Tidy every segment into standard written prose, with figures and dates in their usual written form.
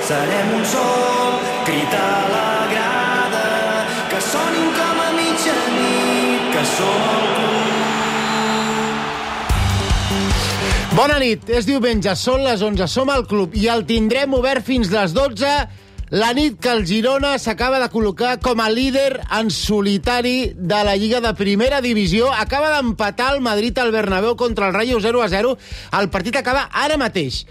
serem un sol, crit a la grada, que sonin com a mitjanit, que som el club. Bona nit, és diumenge, són les 11, som al club i el tindrem obert fins les 12, la nit que el Girona s'acaba de col·locar com a líder en solitari de la Lliga de Primera Divisió. Acaba d'empatar el Madrid al Bernabéu contra el Rayo 0-0. El partit acaba ara mateix.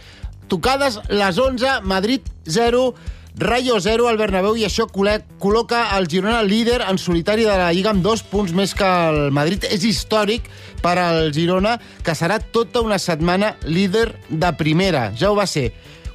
Tocades les 11, Madrid 0, Rayo 0 al Bernabéu, i això col·loca el Girona líder en solitari de la Lliga amb 2 punts més que el Madrid. És històric per al Girona, que serà tota una setmana líder de primera. Ja ho va ser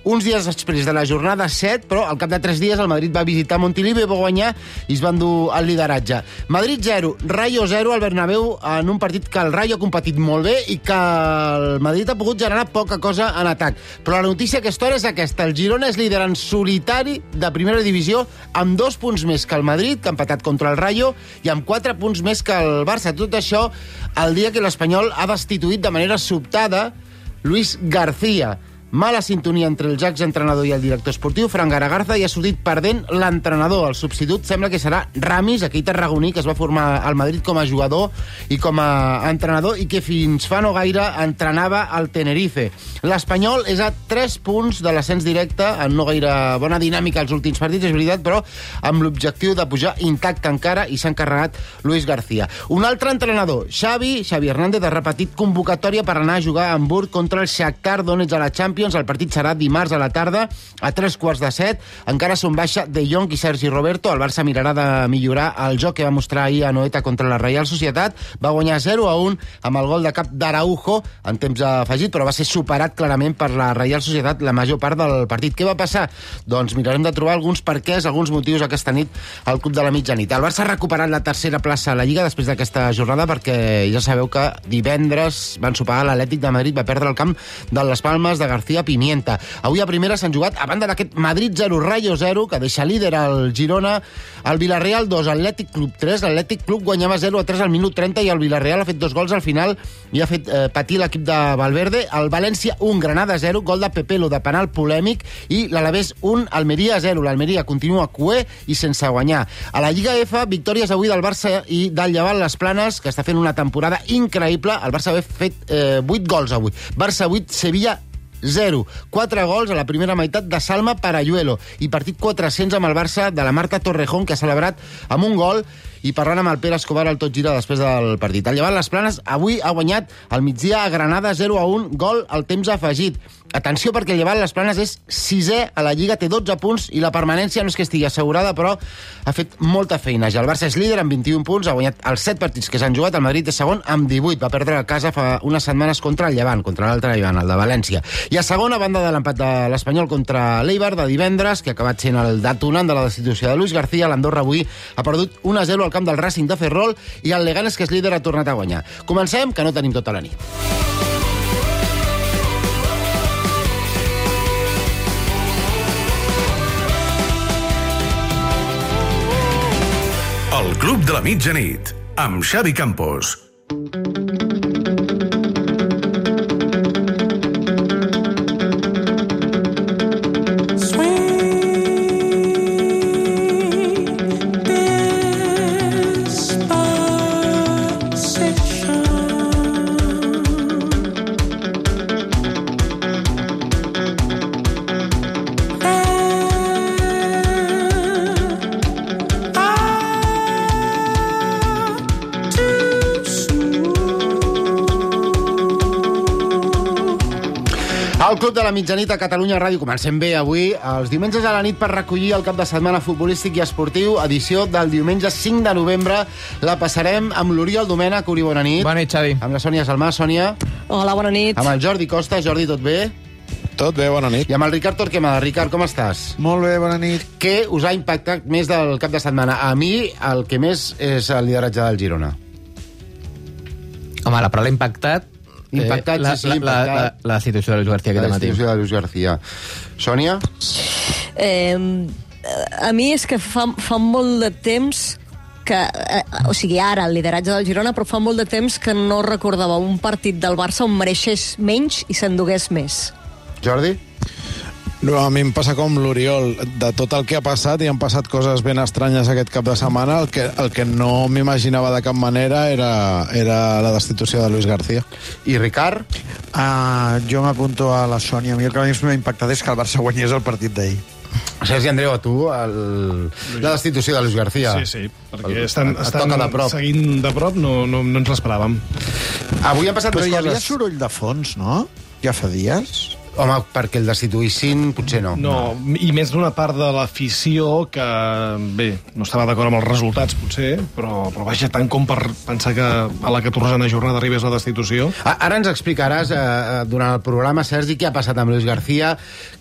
uns dies després de la jornada 7, però al cap de 3 dies el Madrid va visitar Montilivi, va guanyar i es va endur el lideratge. Madrid 0, Rayo 0 al Bernabéu, en un partit que el Rayo ha competit molt bé i que el Madrid ha pogut generar poca cosa en atac. Però la notícia a aquesta hora és aquesta: el Girona és líder en solitari de primera divisió amb 2 punts més que el Madrid, que ha empatat contra el Rayo, i amb 4 punts més que el Barça. Tot això el dia que l'Espanyol ha destituït de manera sobtada Luis García. Mala sintonia entre el exentrenador i el director esportiu, Fran Garagarza, i ha sortit perdent l'entrenador. El substitut sembla que serà Ramis, aquell tarragoní que es va formar al Madrid com a jugador i com a entrenador i que fins fa no gaire entrenava al Tenerife. L'Espanyol és a 3 punts de l'ascens directe, en no gaire bona dinàmica als últims partits, és veritat, però amb l'objectiu de pujar intacte encara, i s'ha encarregat Luis García. Un altre entrenador, Xavi Hernández, ha repetit convocatòria per anar a jugar a Hamburg contra el Shakhtar Donetsk a la Champions. El partit serà dimarts a la tarda a 3:15. Encara són baixa De Jong i Sergi Roberto. El Barça mirarà de millorar el joc que va mostrar ahir a Anoeta contra la Real Societat. Va guanyar 0-1 amb el gol de cap d'Araujo en temps afegit, però va ser superat clarament per la Real Societat la major part del partit. Què va passar? Doncs mirarem de trobar alguns perquès, alguns motius aquesta nit al Club de la Mitjanit. El Barça ha recuperat la tercera plaça a la Lliga després d'aquesta jornada, perquè ja sabeu que divendres van superar l'Atlètic de Madrid, va perdre el camp de les Palmes de García Pimienta. Avui a primera s'han jugat, a banda d'aquest Madrid 0, Rayo 0, que deixa líder al Girona, el Villarreal 2, Atlètic Club 3. L'Atlètic Club guanyava 0-3 al minut 30 i el Villarreal ha fet 2 gols al final i ha fet patir l'equip de Valverde. El València 1, Granada 0, gol de Pepelo de penal polèmic, i l'Alavés 1, Almeria 0. L'Almeria continua cué i sense guanyar. A la Lliga F, victòries avui del Barça i del Llevant Les Planes, que està fent una temporada increïble. El Barça ha fet 8 gols avui. Barça 8, Sevilla 0. 4 gols a la primera meitat de Salma Parayuelo, i partit 400 amb el Barça de la Marta Torrejón, que ha celebrat amb un gol, i parlant amb el Pere Escobar al Tot Gira després del partit. El Llevant Les Planes avui ha guanyat al migdia a Granada 0-1, gol al temps afegit. Atenció, perquè el Llevant Les Planes és 6è a la Lliga, té 12 punts, i la permanència no és que estigui assegurada, però ha fet molta feina. Ja el Barça és líder amb 21 punts, ha guanyat els 7 partits que s'han jugat. El Madrid és segon amb 18, va perdre a casa fa unes setmanes contra el Llevant, contra l'altre Llevant, el de València. I a segona, banda de l'empat de l'Espanyol contra l'Eibar de divendres, que ha acabat sent el detonant de la destitució de Luis García, l'Andorra avui ha perdut 1-0 al camp del Racing de Ferrol, i el Leganés, que és líder, ha tornat a guanyar. Comencem, que no tenim tota la nit. El Club de la Mitjanit, amb Xavi Campos. El Club de la Mitjanit a Catalunya Ràdio. Comencem bé avui, els diumenges a la nit, per recollir el cap de setmana futbolístic i esportiu, edició del diumenge 5 de novembre. La passarem amb l'Oriol Domènech. Uri, bona nit. Bona nit, Xavi. Amb la Sònia Salmà. Sònia. Hola, bona nit. Amb el Jordi Costa. Jordi, tot bé? Tot bé, bona nit. I amb el Ricard Torquemada. Ricard, com estàs? Molt bé, bona nit. Què us ha impactat més del cap de setmana? A mi, el que més és el lideratge del Girona. Home, la paraula impactat... Impactat, sí, impactat. La situació de Luis García aquest matí. La situació de Luis García. Sònia? A mi és que fa molt de temps que, o sigui, ara el lideratge del Girona, però fa molt de temps que no recordava un partit del Barça on mereixés menys i s'endugués més. Jordi? No, a mi em passa com l'Oriol. De tot el que ha passat, i han passat coses ben estranyes aquest cap de setmana, el que no m'imaginava de cap manera era la destitució de Luis García. I Ricard? Jo m'apunto a la Sònia. A mi el que més m'ha impactat és que el Barça guanyés el partit d'ahir. Sergi Andreu, a tu, la destitució de Luis García. Sí, perquè estan de prop. seguint de prop, no ens l'esperàvem. Avui han passat Però dues hi havia coses. soroll de fons, no? Ja fa dies. Home, perquè el destituïssin, potser no. No, i més d'una part de l'afició que, bé, no estava d'acord amb els resultats, potser, però vaja, tant com per pensar que a la 14a jornada arribés la destitució. Ara ens explicaràs, durant el programa, Sergi, què ha passat amb Luis García,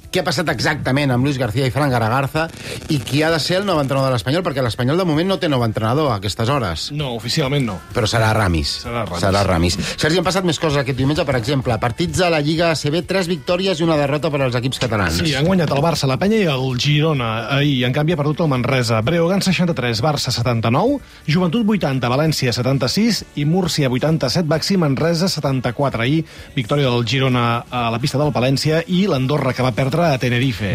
què ha passat exactament amb Luis García i Fran Garagarza, i qui ha de ser el nou entrenador de l'Espanyol, perquè l'Espanyol de moment no té nou entrenador a aquestes hores. No, oficialment no. Però serà Ramis. Serà Ramis. Sergi, han passat més coses aquest diumenge, per exemple, partits de la Lliga ACB, 3 victòries i una derrota per als equips catalans. Sí, han guanyat el Barça, la Penya i el Girona. Ahir, en canvi, ha perdut el Manresa. Breogán 63, Barça 79, Joventut 80, València 76 i Múrcia 87, Baxi Manresa 74. Ahir, victòria del Girona a la pista del Palència i l'Andorra, que va perdre a Tenerife.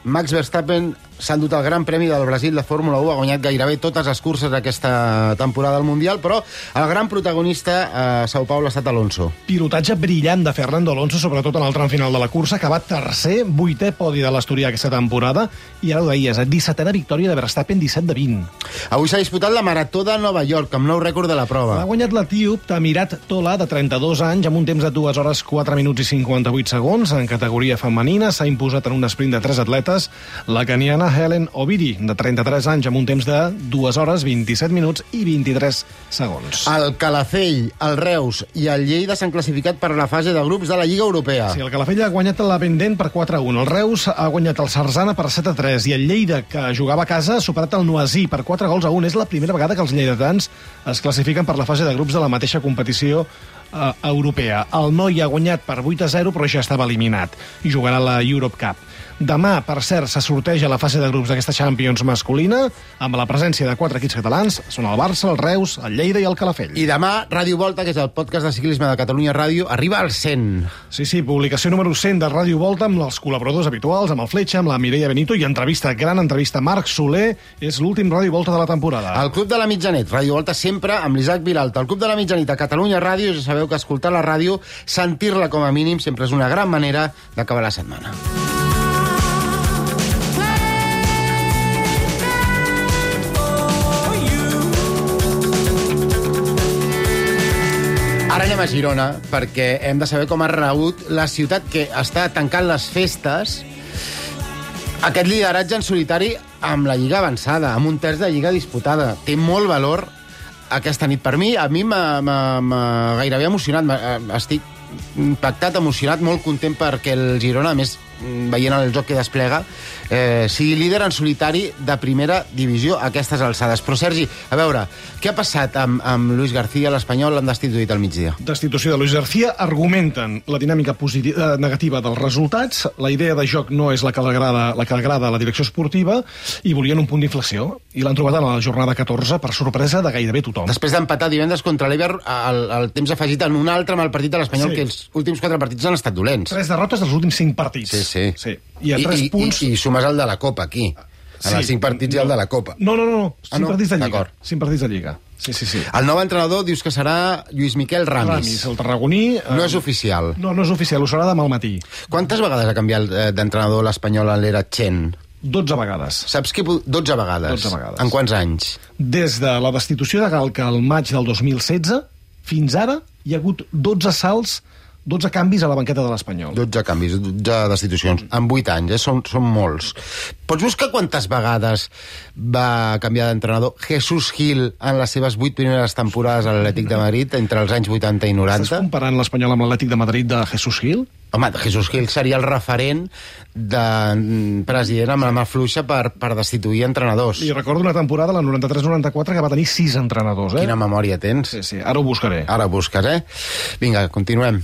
Max Verstappen s'ha endut el Gran Premi del Brasil de Fórmula 1, ha guanyat gairebé totes les curses d'aquesta temporada del Mundial, però el gran protagonista a São Paulo ha estat Alonso. Pilotatge brillant de Fernando Alonso, sobretot en el tram final de la cursa, que va tercer, 8è podi de l'Asturià aquesta temporada, i ara ho deies, 17a victòria de Verstappen, 17 de 20. Avui s'ha disputat la Marató de Nova York, amb nou rècord de la prova. Ha guanyat l'etíop Tamirat Tola, de 32 anys, amb un temps de 2 hores, 4 minuts i 58 segons. En categoria femenina s'ha imposat en un sprint de 3 atletes la keniana Helen Obiri, de 33 anys, amb un temps de 2 hores, 27 minuts i 23 segons. El Calafell, el Reus i el Lleida s'han classificat per la fase de grups de la Lliga Europea. Sí, el Calafell ha guanyat la Pendent per 4-1, el Reus ha guanyat el Sarzana per 7-3 i el Lleida, que jugava a casa, ha superat el Noisy per 4-1. És la primera vegada que els lleidatans es classifiquen per la fase de grups de la mateixa competició europea. El Noi ha guanyat per 8-0, però ja estava eliminat i jugarà la Europe Cup. Demà, per cert, se sorteja la fase de grups d'aquesta Champions masculina amb la presència de 4 equips catalans. Són el Barça, el Reus, el Lleida i el Calafell. I demà, Ràdio Volta, que és el podcast de ciclisme de Catalunya Ràdio, arriba al 100. Sí, publicació número 100 de Ràdio Volta amb els col·laboradors habituals, amb el Fletxa, amb la Mireia Benito i gran entrevista. Marc Soler és l'últim Ràdio Volta de la temporada. El Club de la Mitjanit, Ràdio Volta sempre amb l'Isaac Vilalta. El Club de la Mitjanit a Catalunya Ràdio, ja sabeu que escoltar la ràdio, sentir-la com a mínim, sempre és una gran manera d'acabar la setmana. Ara anem a Girona, perquè hem de saber com ha rebut la ciutat que està tancant les festes aquest lideratge en solitari amb la Lliga avançada, amb un terç de Lliga disputada. Té molt valor aquesta nit. Per mi, a mi m'ha gairebé emocionat. Estic impactat, emocionat, molt content perquè el Girona, a més, veient el joc que desplega, sigui líder en solitari de primera divisió a aquestes alçades. Però, Sergi, a veure, què ha passat amb Luis García? L'Espanyol l'han destituït al migdia. Destitució de Luis García. Argumenten la dinàmica negativa dels resultats, la idea de joc no és la que agrada a la direcció esportiva, i volien un punt d'inflexió, i l'han trobat a la jornada 14 per sorpresa de gairebé tothom. Després d'empatar divendres contra l'Eibar, el temps afegit en un altre amb el partit de l'Espanyol, que els últims 4 partits han estat dolents. 3 derrotes dels últims 5 partits. Sí. I a 3 punts... I sumes el de la Copa, aquí. En els 5 partits i el de la Copa. No. 5 partits de Lliga. D'acord. 5 partits de Lliga. Sí. El nou entrenador dius que serà Lluís Miquel Ramis. El tarragoní... No és oficial. No és oficial, ho serà demà al matí. Quantes vegades ha canviat d'entrenador l'Espanyol en l'era Chen? 12 vegades. Saps què? 12 vegades. 12 vegades. En quants anys? Des de la destitució de Galca al maig del 2016, fins ara hi ha hagut 12 salts, 12 canvis a la banqueta de l'Espanyol. 12 canvis, 12 destitucions. En 8 anys, són molts. Pots buscar quantes vegades va canviar d'entrenador Jesús Gil en les seves 8 primeres temporades a l'Atlètic de Madrid, entre els anys 80 i 90? Estàs comparant l'Espanyol amb l'Atlètic de Madrid de Jesús Gil? Home, Jesús Gil seria el referent de president amb la mà fluixa per destituir entrenadors. I recordo una temporada, la 93-94, que va tenir 6 entrenadors, Quina memòria tens? Sí, ara ho buscaré. Ara ho busques, Vinga, continuem.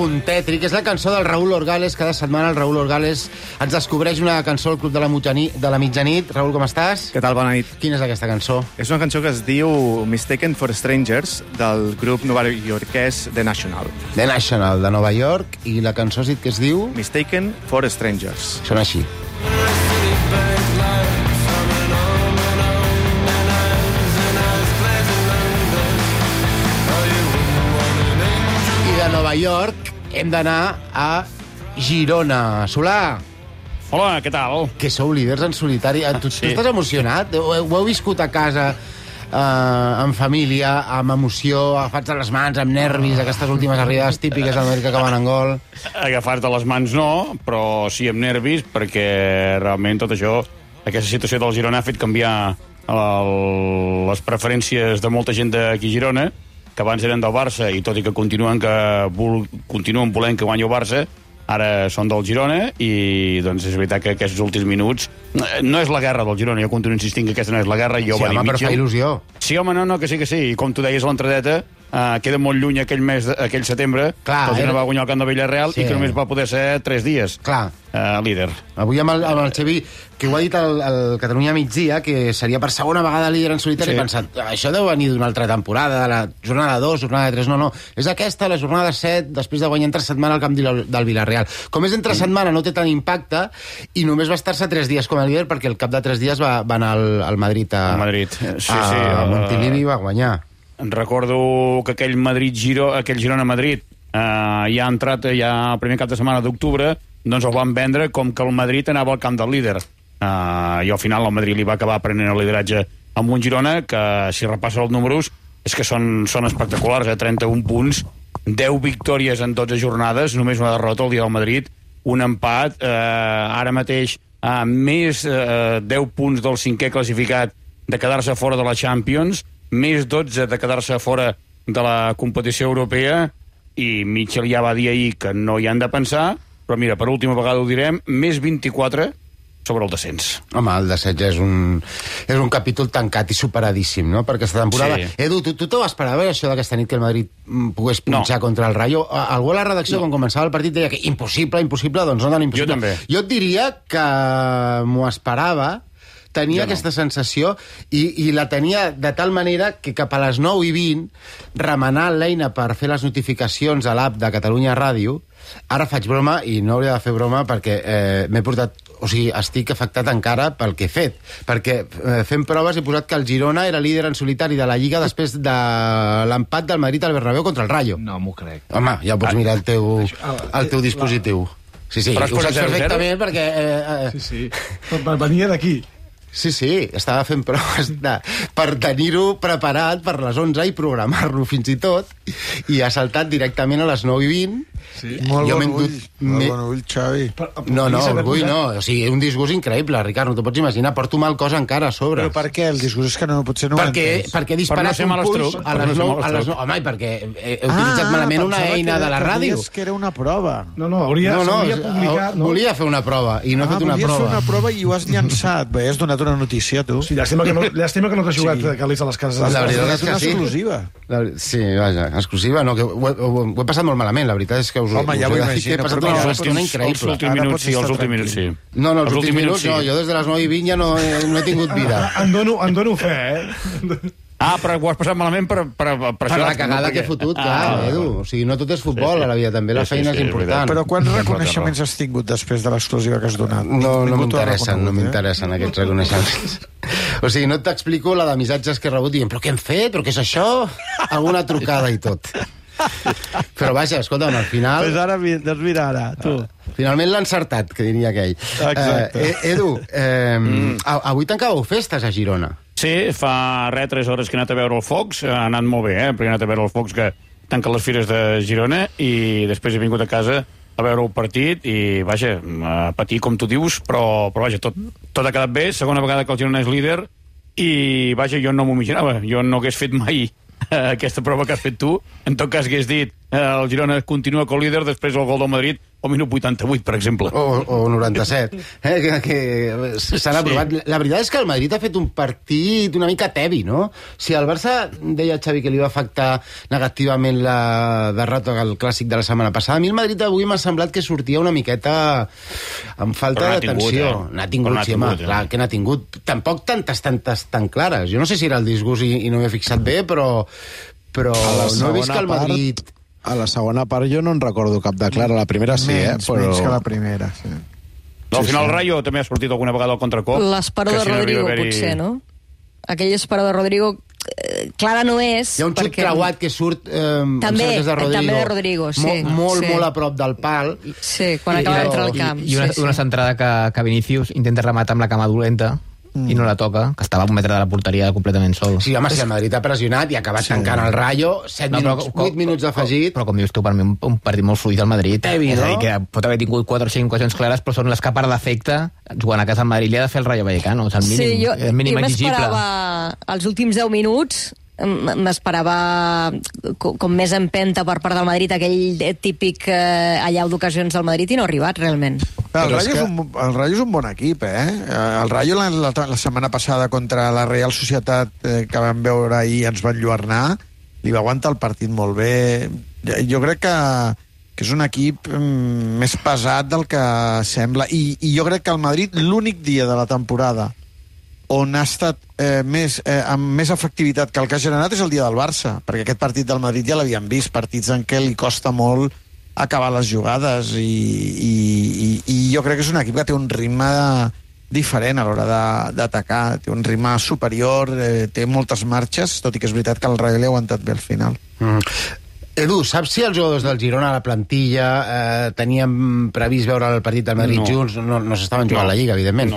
punt tètric. És la cançó del Raúl Orgales. Cada setmana el Raúl Orgales ens descobreix una cançó al Club de la Mitjanit. Raúl, com estàs? Què tal? Bona nit. Quina és aquesta cançó? És una cançó que es diu Mistaken for Strangers, del grup novaiorquès The National. The National, de Nova York. I la cançó has dit que es diu... Mistaken for Strangers. Sona així. Nova York, hem d'anar a Girona. Solà. Hola, què tal? Que sou líders en solitari. Tu estàs emocionat? Ho heu viscut a casa, en família, amb emoció, agafats a les mans, amb nervis, aquestes últimes arribades típiques del Madrid que acaben en gol? Agafats a les mans no, però sí amb nervis, perquè realment tot això, aquesta situació del Girona ha fet canviar les preferències de molta gent d'aquí a Girona, que abans eren del Barça i tot i que continuen volent que guanyi el Barça, ara són del Girona i doncs és veritat que aquests últims minuts no és la guerra del Girona, jo continuo insistint que aquesta no és la guerra. Sí, home, però fa il·lusió. Sí, home, no, que sí, i com tu deies a l'entradeta, queda molt lluny aquell setembre, que el Girona va guanyar el camp de Villarreal i que només va poder ser 3 dies líder. Avui amb el Xavi, que ho ha dit el Catalunya migdia, que seria per segona vegada líder en solitari, he pensat, això deu venir d'una altra temporada, de la jornada 2, jornada 3, no, és aquesta, la jornada 7, després de guanyar entre setmana al camp del Villarreal. Com és entre setmana, no té tant impacte, i només va estar-se 3 dies com a líder, perquè al cap de 3 dies va anar al Madrid a Montilivi i va guanyar. Recordo que aquell Girona-Madrid ja ha entrat ja el primer cap de setmana d'octubre, doncs el van vendre com que el Madrid anava al camp del líder. I al final el Madrid li va acabar prenent el lideratge amb un Girona que, si repassa els números, és que són espectaculars, 31 punts, 10 victòries en 12 jornades, només una derrota el dia del Madrid, un empat, ara mateix més 10 punts del 5è classificat de quedar-se fora de la Champions, més 12 de quedar-se fora de la competició europea, i Mitchell ja va dir ahir que no hi han de pensar, però mira, per última vegada ho direm, més 24 sobre el descens. Home, el descens és un capítol tancat i superadíssim, no?, per aquesta temporada. Sí. Edu, tu t'ho esperaves, això d'aquesta nit que el Madrid pogués punxar contra el Rayo? Algú a la redacció, quan començava el partit, deia que impossible, doncs no tan impossible. Jo també. Jo et diria que m'ho esperava, tenia aquesta sensació i la tenia de tal manera que cap a les 9:20, remenant l'eina per fer les notificacions a l'app de Catalunya Ràdio, ara faig broma i no hauria de fer broma perquè m'he portat, o sigui, estic afectat encara pel que he fet, perquè fent proves he posat que el Girona era líder en solitari de la Lliga després de l'empat del Madrid al Bernabéu contra el Rayo. No m'ho crec. Home, ja pots mirar el teu dispositiu. Sí, ho saps perfectament perquè... Sí, venia d'aquí. Sí, estava fent proves per tenir-ho preparat per les 11 i programar-lo fins i tot, i ha saltat directament a les 9:20. Sí. Molt bon ull, Xavi. No, orgull no. O sigui, un disgust increïble, Ricard, no t'ho pots imaginar. Porto mal cos encara a sobre. Però per què? El disgust és que potser no ho entens. Perquè he disparat un puls a les 9. Home, i perquè he utilitzat malament una eina de la ràdio. Que era una prova. Hauria publicat... Volia fer una prova i no he fet una prova. Volies fer una prova i ho has llançat. Bé, has donat una notícia, tu. Sí, llàstima que no t'has jugat calés a les cases. La veritat és que sí. Exclusiva. Sí, vaja, exclusiva. No, que ho he passat molt malament, la veritat és que home, ja ho imagino. Els últims minuts, sí. No, els últims minuts no. Jo des de les 9:20 ja no he tingut vida. En dono fe, eh? Però ho has passat malament per això. Per la cagada que he fotut, clar, Edu. O sigui, no tot és futbol a la vida, també la feina és important. Però quants reconeixements has tingut després de l'exclusiva que has donat? No m'interessen aquests reconeixements. O sigui, no t'explico la de missatges que he rebut dient, però què hem fet? Però què és això? Alguna trucada i tot. Però vaja, escolta'm, al final... Doncs mira ara, tu. Finalment l'ha encertat, que diria aquell. Exacte. Edu, avui tancàveu festes a Girona. Sí, fa 3 hores que he anat a veure el Focs, ha anat molt bé, perquè he anat a veure el Focs que tanca les fires de Girona, i després he vingut a casa a veure el partit i, vaja, a patir, com tu dius, però vaja, tot ha quedat bé, segona vegada que el Girona és líder, i, vaja, jo no m'ho imaginava, jo no hagués fet mai aquesta prova que has fet tu, en tot cas hagués dit el Girona continua com líder, després el gol del Madrid o minut 88, per exemple. O 97. Que s'han aprovat. La veritat és que el Madrid ha fet un partit una mica tebi, no? Si el Barça deia Xavi que li va afectar negativament la derrota al Clàssic de la setmana passada, a mi el Madrid avui m'ha semblat que sortia una miqueta amb falta d'atenció. N'ha tingut, sí, home, clar que n'ha tingut. Tampoc tantes tan clares. Jo no sé si era el disgust i no m'he fixat bé, però no he vist que el Madrid... A la segona part jo no en recordo cap de clara. La primera sí, menys que la primera, sí. No, al final el Rayo també ha sortit alguna vegada al contracop. L'esperó de Rodrigo, potser, no? Aquell esperó de Rodrigo... Clara no és... Hi ha un xut creuat que surt també de Rodrigo, sí. Molt a prop del pal. Sí, quan acaba d'entrar al camp. I una centrada que Vinícius intenta rematar amb la cama dolenta i no la toca, que estava a un metre de la porteria completament sol. Sí, home, si el Madrid ha pressionat i ha acabat tancant el Rayo, 8 minuts d'afegit... Però com dius tu, per mi un partit molt fluid del Madrid. És a dir, que pot haver tingut 4 o 5 ocasions clares, però són les que per defecte, jugant a casa al Madrid, li ha de fer el Rayo Vallecano. És el mínim, el mínim exigible. Jo m'esperava els últims 10 minuts m'esperava com més empenta per part del Madrid, aquell típic allau d'ocasions del Madrid, i no ha arribat realment. El Rayo és un bon equip, eh? El Rayo la setmana passada contra la Real Societat, que vam veure ahir, ens van lluernar, li va aguantar el partit molt bé. Jo crec que és un equip més pesat del que sembla, i jo crec que el Madrid, l'únic dia de la temporada on ha estat amb més efectivitat que el que ha generat és el dia del Barça, perquè aquest partit del Madrid ja l'havíem vist, partits en què li costa molt acabar les jugades, i jo crec que és un equip que té un ritme diferent a l'hora d'atacar, té un ritme superior, té moltes marxes, tot i que és veritat que el Rayo li ha aguantat bé al final. Edu, saps si els jugadors del Girona a la plantilla tenien previst veure el partit del Madrid junts? No s'estaven jugant la Lliga, evidentment.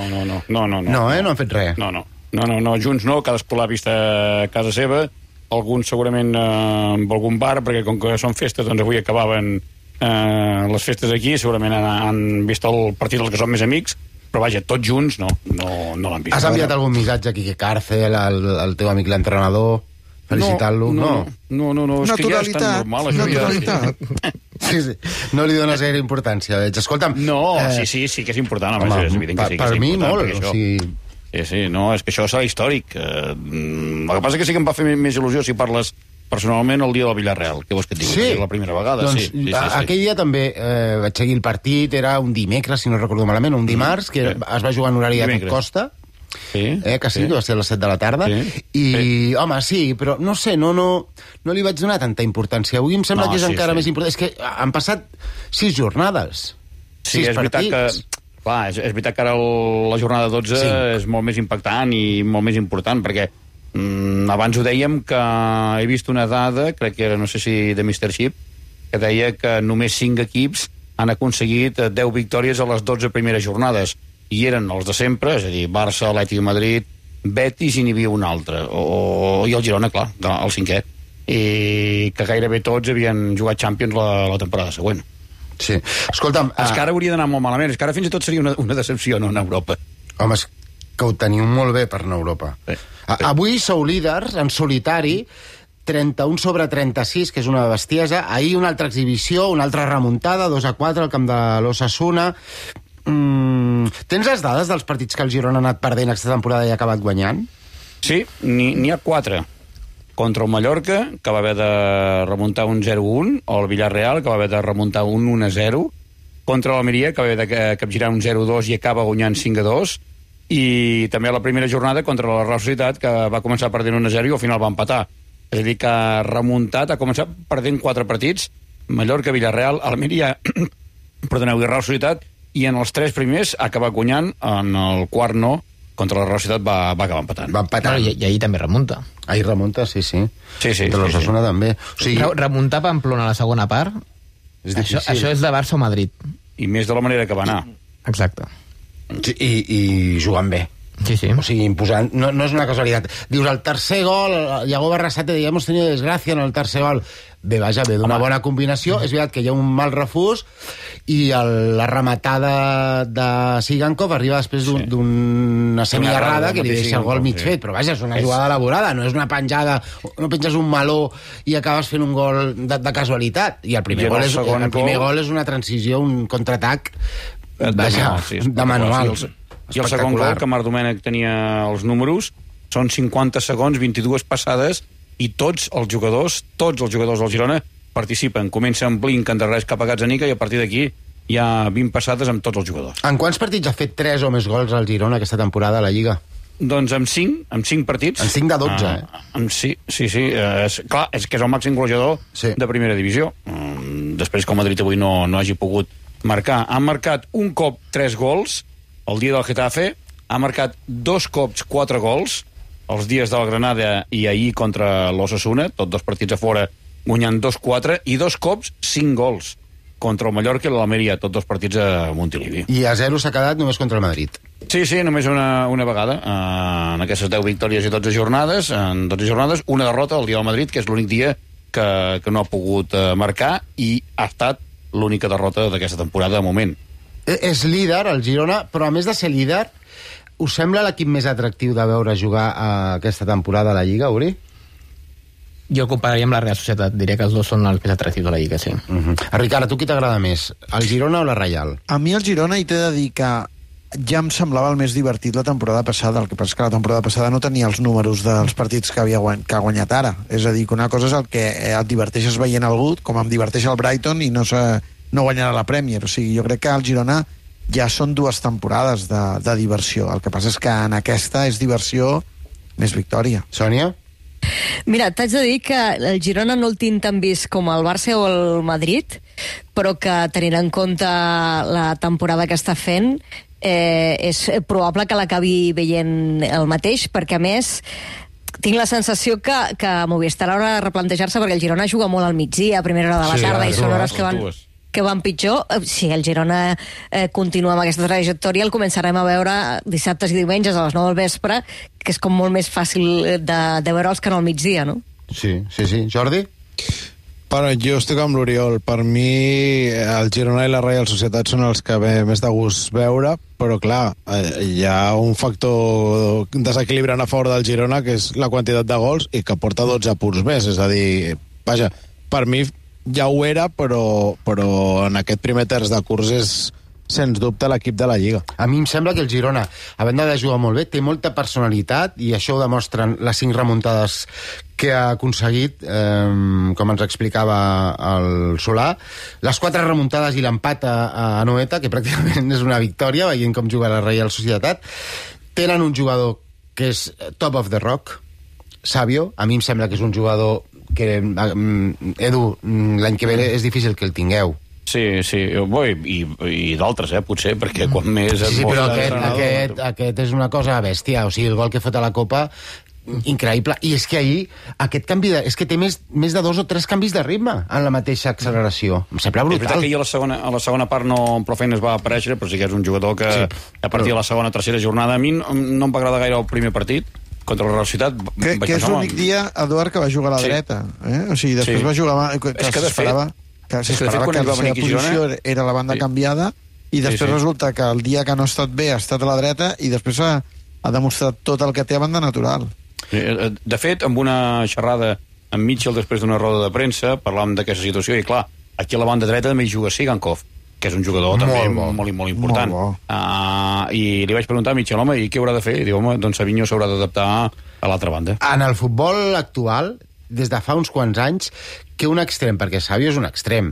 No, no han fet res. No, junts no, cadascú l'ha vist a casa seva, alguns segurament amb algun bar, perquè com que són festes, doncs avui acabaven les festes aquí, segurament han vist el partit dels que són més amics, però vaja, tots junts no l'han vist. Has enviat algun missatge a Quique Cárcel, al teu amic l'entrenador, felicitant-lo? No, és que ja és tan normal, això. Naturalitat. Sí, no li dones gaire importància, veig. Escolta'm... No, sí que és important, home, és evident que sí que és important. Per mi molt, Sí, no, és que això serà històric. El que passa que sí que em va fer més il·lusió si parles personalment el dia del Villarreal. Què vols que et digui? Sí. La primera vegada, doncs, sí. Aquell dia també vaig seguir el partit, era un dimecres, si no recordo malament, un dimarts, que es va jugar en horari de tot Costa, que sí, que va ser a les 7 de la tarda, home, sí, però no sé, no li vaig donar tanta importància. Avui em sembla que és encara més important. És que han passat 6 jornades, 6 partits. Clar, és veritat que ara la jornada 12 és molt més impactant i molt més important, perquè abans ho dèiem que he vist una dada, crec que era, no sé si de Mr. Chip, que deia que només 5 equips han aconseguit 10 victòries a les 12 primeres jornades, i eren els de sempre, és a dir, Barça, Atlètic de Madrid, Betis, i n'hi havia un altre, i el Girona, clar, el 5è, i que gairebé tots havien jugat Champions la temporada següent. Sí. Escolta'm... És que ara hauria d'anar molt malament, és que ara fins i tot seria una decepció no en Europa. Home, és que ho teniu molt bé per anar a Europa. Avui sou líders en solitari, 31 sobre 36, que és una bestiesa. Ahir una altra exhibició, una altra remuntada, 2-4 al camp de l'Osasuna. Tens les dades dels partits que el Girona ha anat perdent aquesta temporada i ha acabat guanyant? Sí, n'hi ha 4. Contra el Mallorca, que va haver de remuntar un 0-1, o el Villarreal, que va haver de remuntar un 1-0, contra l'Almeria, que va haver de capgirar un 0-2 i acaba guanyant 5-2, i també a la primera jornada contra la Real Societat, que va començar perdent 1-0 i al final va empatar. És a dir, que ha remuntat, ha començat perdent 4 partits, Mallorca, Villarreal, Almeria, perdoneu, i Real Societat, i en els 3 primers ha acabat guanyant, en el quart no, contra la Real Societat va acabar empatant. I ahir també remunta. Ahir remunta, sí. De l'Osasuna també. O sigui... Remuntar Pamplona a la segona part, això és de Barça o Madrid. I més de la manera que va anar. Exacte. I jugant bé. Sí. O sigui, imposant. No és una casualitat. Dius, el tercer gol, Iago Barrasate deia, hemos tenido desgracia en el tercer gol. Bé, vaja, ve d'una bona combinació. És veritat que hi ha un mal refús i la rematada de Sigankov arriba després d'una semiarrada que li deixa el gol mig fet. Però vaja, és una jugada elaborada, no és una penjada, no penges un meló i acabes fent un gol de casualitat. I el primer gol és una transició, un contraatac de manual. I el segon gol, que Marc Domènech tenia els números, són 50 segons, 22 passades, i tots els jugadors del Girona participen. Comença amb Blink, endarrereix cap a Gazzaniga, i a partir d'aquí hi ha 20 passades amb tots els jugadors. En quants partits ha fet 3 o més gols al Girona aquesta temporada a la Lliga? Doncs amb 5 partits. En 5 de 12, Sí. Clar, és que és el màxim golejador de primera divisió. Després que el Madrid avui no hagi pogut marcar. Ha marcat un cop 3 gols el dia del Getafe, ha marcat 2 cops 4 gols els dies del Granada i ahir contra l'Osasuna, tots 2 partits a fora, guanyant 2-4, i 2 cops 5 gols contra el Mallorca i l'Almeria, tots 2 partits a Montilivi. I a 0 s'ha quedat només contra el Madrid. Sí, només una vegada, en aquestes 10 victòries i 12 jornades, una derrota el dia del Madrid, que és l'únic dia que no ha pogut marcar, i ha estat l'única derrota d'aquesta temporada de moment. És líder, el Girona, però a més de ser líder, us sembla l'equip més atractiu de veure jugar aquesta temporada a la Lliga, Uri? Jo compararia amb la Real Societat. Diré que els dos són els més atractius de la Lliga, sí. Ricard, a tu qui t'agrada més? El Girona o la Reial? A mi el Girona, i t'he de dir que ja em semblava el més divertit la temporada passada. El que passa és que la temporada passada no tenia els números dels partits que ha guanyat ara. És a dir, que una cosa és el que et diverteixes veient algú, com em diverteix el Brighton, i no guanyarà la Premier. O sigui, jo crec que el Girona ja són 2 temporades de diversió. El que passa és que en aquesta és diversió més victòria. Sònia? Mira, t'haig de dir que el Girona no el tinc tan vist com el Barça o el Madrid, però que tenint en compte la temporada que està fent, és probable que l'acabi veient el mateix, perquè a més tinc la sensació que Movistar haurà de replantejar-se, perquè el Girona juga molt al migdia, a primera hora de la tarda, i són hores que van pitjor. Si el Girona continua amb aquesta trajectòria, el començarem a veure dissabtes i diumenges a les 9 del vespre, que és com molt més fàcil de veure'ls que no al migdia, no? Sí. Jordi? Jo estic amb l'Oriol. Per mi, el Girona i la Reial Societat són els que ve més de gust veure, però clar, hi ha un factor desequilibrant a favor del Girona, que és la quantitat de gols, i que porta 12 punts més. És a dir, vaja, per mi ja ho era, però en aquest primer terç de curs és, sens dubte, l'equip de la Lliga. A mi em sembla que el Girona, a banda de jugar molt bé, té molta personalitat, i això ho demostren les 5 remuntades que ha aconseguit, com ens explicava el Solà. Les 4 remuntades i l'empat a Anoeta, que pràcticament és una victòria, veient com juga la Reial Societat. Tenen un jugador que és top of the rock, Savio. A mi em sembla que és un jugador que, Edu, l'any que ve és difícil que el tingueu. Sí, i d'altres, potser, perquè quan més... Sí, però aquest és una cosa bèstia. O sigui, el gol que fot a la Copa, increïble. I és que ahir, aquest canvi és que té més de 2 o 3 canvis de ritme en la mateixa acceleració. Em sembla brutal. És veritat que ahir a la segona part prou feines va aparèixer, però sí que és un jugador que a partir de la segona o tercera jornada a mi no em va agradar gaire el primer partit contra la Real Societat. Que és l'únic dia, Eduard, que va jugar a la dreta. O sigui, després va jugar... És que s'esperava que la seva posició era la banda canviada, i després resulta que el dia que no ha estat bé ha estat a la dreta, i després ha demostrat tot el que té a banda natural. De fet, amb una xerrada amb Mitchell després d'una roda de premsa, parlàvem d'aquesta situació, i clar, aquí a la banda dreta també hi juga Sigankov, que és un jugador també molt important. I li vaig preguntar a Mitchell, home, i què haurà de fer? I diu, home, doncs Savinho s'haurà d'adaptar a l'altra banda. En el futbol actual, des de fa uns quants anys, que un extrem, perquè Savio és un extrem,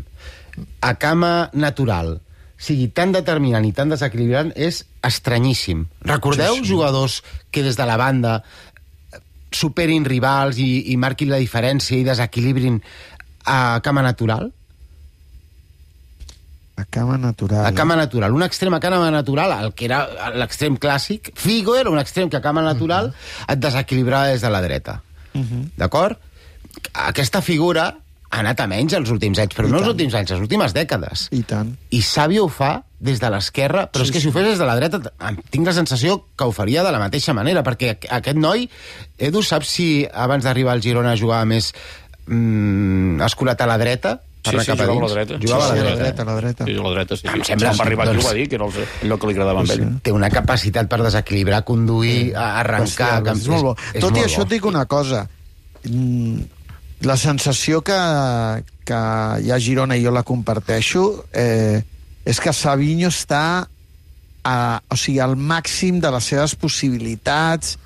a cama natural, sigui tan determinant i tan desequilibrant, és estranyíssim. Recordeu jugadors que des de la banda superin rivals i marquin la diferència i desequilibrin a cama natural? A cama natural. A cama natural. Un extrem a cama natural, el que era l'extrem clàssic, Figo era un extrem que a cama natural et desequilibrava des de la dreta. D'acord? Aquesta figura ha anat a menys els últims anys, però no els últims anys, les últimes dècades. I tant. I Xavi ho fa des de l'esquerra, però és que si ho fes des de la dreta tinc la sensació que ho faria de la mateixa manera, perquè aquest noi, Edu, saps si abans d'arribar al Girona jugava més escurat a la dreta? Sí, jugava a la dreta. Jugava a la dreta. Sí, a la dreta, sí. Em sembla... Quan va arribar aquí ho va dir, que era allò que li agradava amb ell. Té una capacitat per desequilibrar, conduir, arrencar... És molt bo. Tot i això et dic una cosa. La sensació que hi ha a Girona, i jo la comparteixo, és que Savinho està al màxim de les seves possibilitats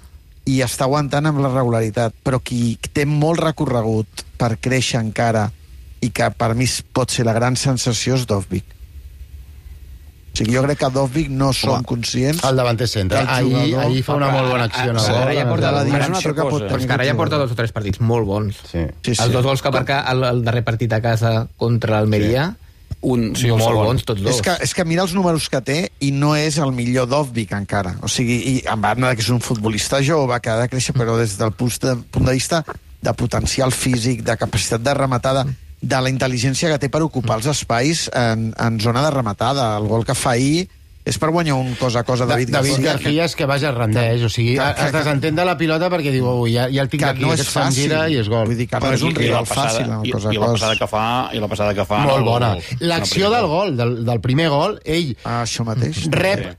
i està aguantant amb la regularitat. Però qui té molt recorregut per créixer encara i que per mi pot ser la gran sensació és Dovbyk. O sigui, jo crec que Dovbyk no som conscients... El davanter centre. Ahir fa una molt bona acció. Ara ja porta la dimensió que pot tenir. Ara ja porta 2 o 3 partits molt bons. Els 2 gols que marca el darrer partit a casa contra l'Almeria, molt bons tots 2. És que mira els números que té i no és el millor Dovbyk encara. O sigui, i en banda que és un futbolista jove que ha de créixer, però des del punt de vista de potencial físic, de capacitat de rematada, de la intel·ligència que té per ocupar els espais en zona de rematada. El gol que fa ahir és per guanyar un cosa a cosa David García és que vaja rendeix, o sigui, es desentén de la pilota perquè diu, ja el tinc aquí, aquest se'n gira i és gol. Vull dir que no és un rival fàcil. I la passada que fa... Molt bona. L'acció del gol, del primer gol, ell rep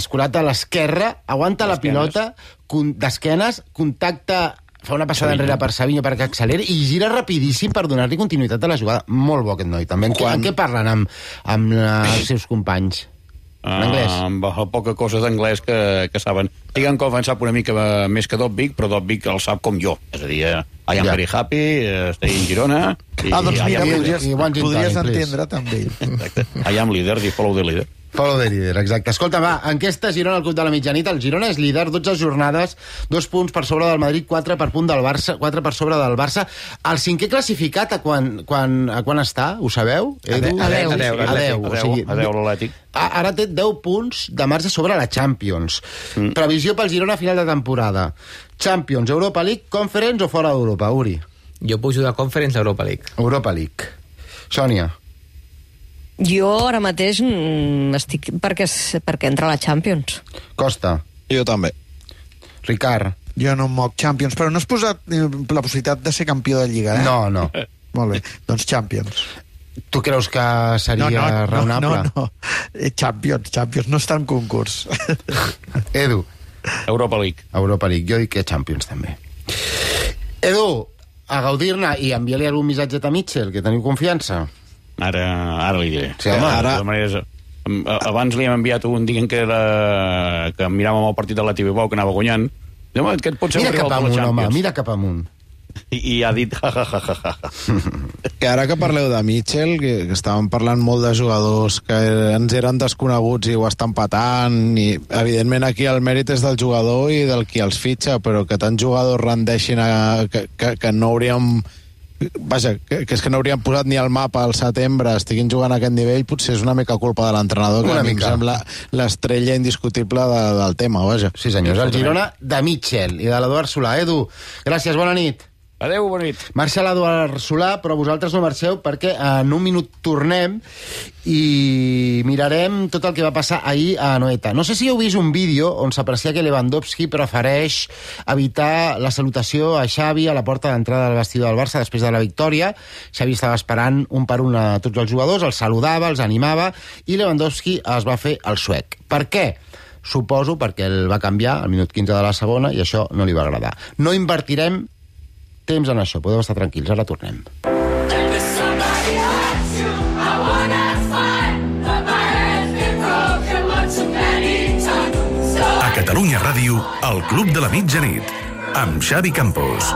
escurat a l'esquerra, aguanta la pilota d'esquenes, contacta, fa una passada enrere per Savinho perquè acceleri i gira rapidíssim per donar-li continuïtat a la jugada. Molt bo aquest noi, també. En què parlen amb els seus companys? En anglès? Amb poca cosa d'anglès que saben. Diguen que en sap una mica més que Dovbyk, però Dovbyk el sap com jo. És a dir, I am very happy, stay in Girona... Doncs mira, podries entendre també. I am leader, follow the leader. Follow the leader, exacte. Escolta, va, enquesta Girona al Club de la Mitjanit. El Girona és líder, 12 jornades, 2 punts per sobre del Madrid, 4 per punt del Barça, 4 per sobre del Barça. El cinquè classificat a quan està? Ho sabeu? A 10, l'Atlètic. Ara té 10 punts de marge sobre la Champions. Previsió pel Girona a final de temporada. Champions, Europa League, Conference o fora d'Europa, Uri? Jo pujo de Conference a Europa League. Europa League. Sònia? Jo ara mateix estic perquè entra a la Champions. Costa? Jo també. Ricard? Jo no em moc Champions, però no has posat la possibilitat de ser campió de Lliga, eh? No. Molt bé, doncs Champions. Tu creus que seria raonable? No. Champions, no està en concurs. Edu? Europa League. Jo dic que Champions també. Edu, a gaudir-ne i enviar-li algun missatge a Mitchell, que teniu confiança. Ara li diré. Sí, ara... Abans li hem enviat un dient que miràvem el partit de la TV Bau, que anava guanyant. Aquest pot ser un rival de la Champions. Mira cap amunt. I ha dit que ara que parleu de Mitchell, que estàvem parlant molt de jugadors que ens eren desconeguts i ho estan patant, i evidentment aquí el mèrit és del jugador i del qui els fitxa, però que tants jugadors rendeixin que no hauríem... Vaja, que és que no haurien posat ni al mapa al setembre, estiguin jugant a aquest nivell, potser és una mica culpa de l'entrenador, que a mi em sembla l'estrella indiscutible del tema, vaja. Sí, senyors, el Girona de Mitchell i de l'Eduard Solà. Edu, gràcies, bona nit. Adéu, bona nit. Marxa l'Eduard Solà, però vosaltres no marxeu perquè en un minut tornem i mirarem tot el que va passar ahir a Anoeta. No sé si heu vist un vídeo on s'aprecia que Lewandowski prefereix evitar la salutació a Xavi a la porta d'entrada del vestidor del Barça després de la victòria. Xavi estava esperant un per un a tots els jugadors, els saludava, els animava, i Lewandowski es va fer el suec. Per què? Suposo perquè el va canviar al minut 15 de la segona i això no li va agradar. No invertirem temps en això, podeu estar tranquils, ara tornem. A Catalunya Ràdio, el Club de la Mitjanit, amb Xavi Campos.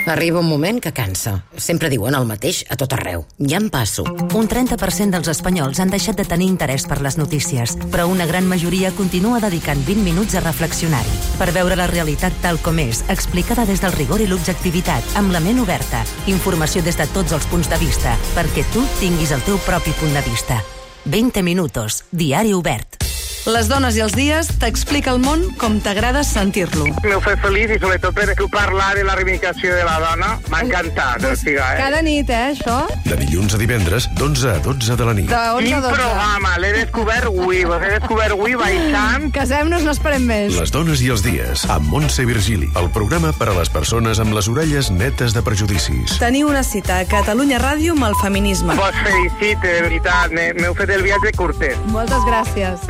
Arriba un moment que cansa. Sempre diuen el mateix a tot arreu. Ja em passo. Un 30% dels espanyols han deixat de tenir interès per les notícies, però una gran majoria continua dedicant 20 minuts a reflexionar-hi, per veure la realitat tal com és, explicada des del rigor i l'objectivitat, amb la ment oberta, informació des de tots els punts de vista, perquè tu tinguis el teu propi punt de vista. 20 minutos, diari obert. Les dones i els dies t'explica el món com t'agrada sentir-lo. M'ho fa feliç i sobretot per tu parlar de la reivindicació de la dona. M'ha encantat. Cada nit, això? De dilluns a divendres, d'11 a 12 de la nit. De 11 a 12. Quin programa, l'he descobert avui. L'he descobert avui baixant. Casem-nos, no esperem més. Les dones i els dies, amb Montse Virgili. El programa per a les persones amb les orelles netes de prejudicis. Teniu una cita a Catalunya Ràdio amb el feminisme. Vos felicite, de veritat. M'heu fet el viatge curtet. Moltes gràcies.